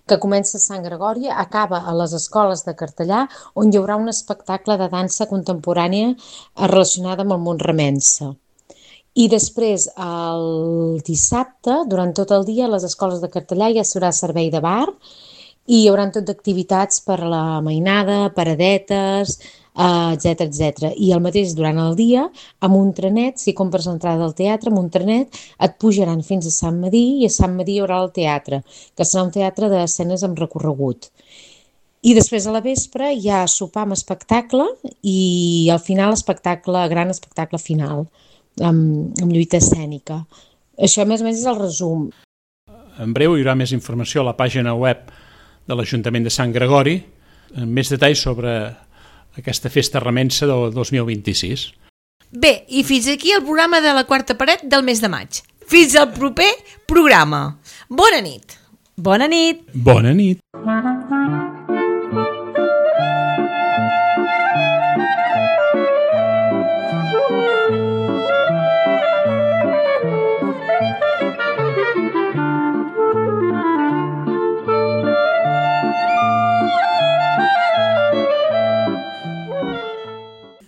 que comença a Sant Gregori, acaba a les escoles de Cartellà, on hi haurà un espectacle de dansa contemporània relacionada amb el món remença. I després, el dissabte, durant tot el dia, a les escoles de Cartellà ja s'haurà servei de bar i hi haurà tot d'activitats per a la mainada, paradetes, etc. I el mateix durant el dia, amb un trenet, si compres l'entrada al teatre, amb un trenet et pujaran fins a Sant Medir i a Sant Medir hi haurà el teatre, que serà un teatre d'escenes amb recorregut. I després a la vespre hi ha sopar amb espectacle i al final gran espectacle final, amb lluita escènica. Això més o menys és el resum. En breu hi haurà més informació a la pàgina web de l'Ajuntament de Sant Gregori, amb més detalls sobre aquesta festa remença del 2026. Bé, i fins aquí el programa de la Quarta Paret del mes de maig. Fins al proper programa. Bona nit. Bona nit. Bona nit.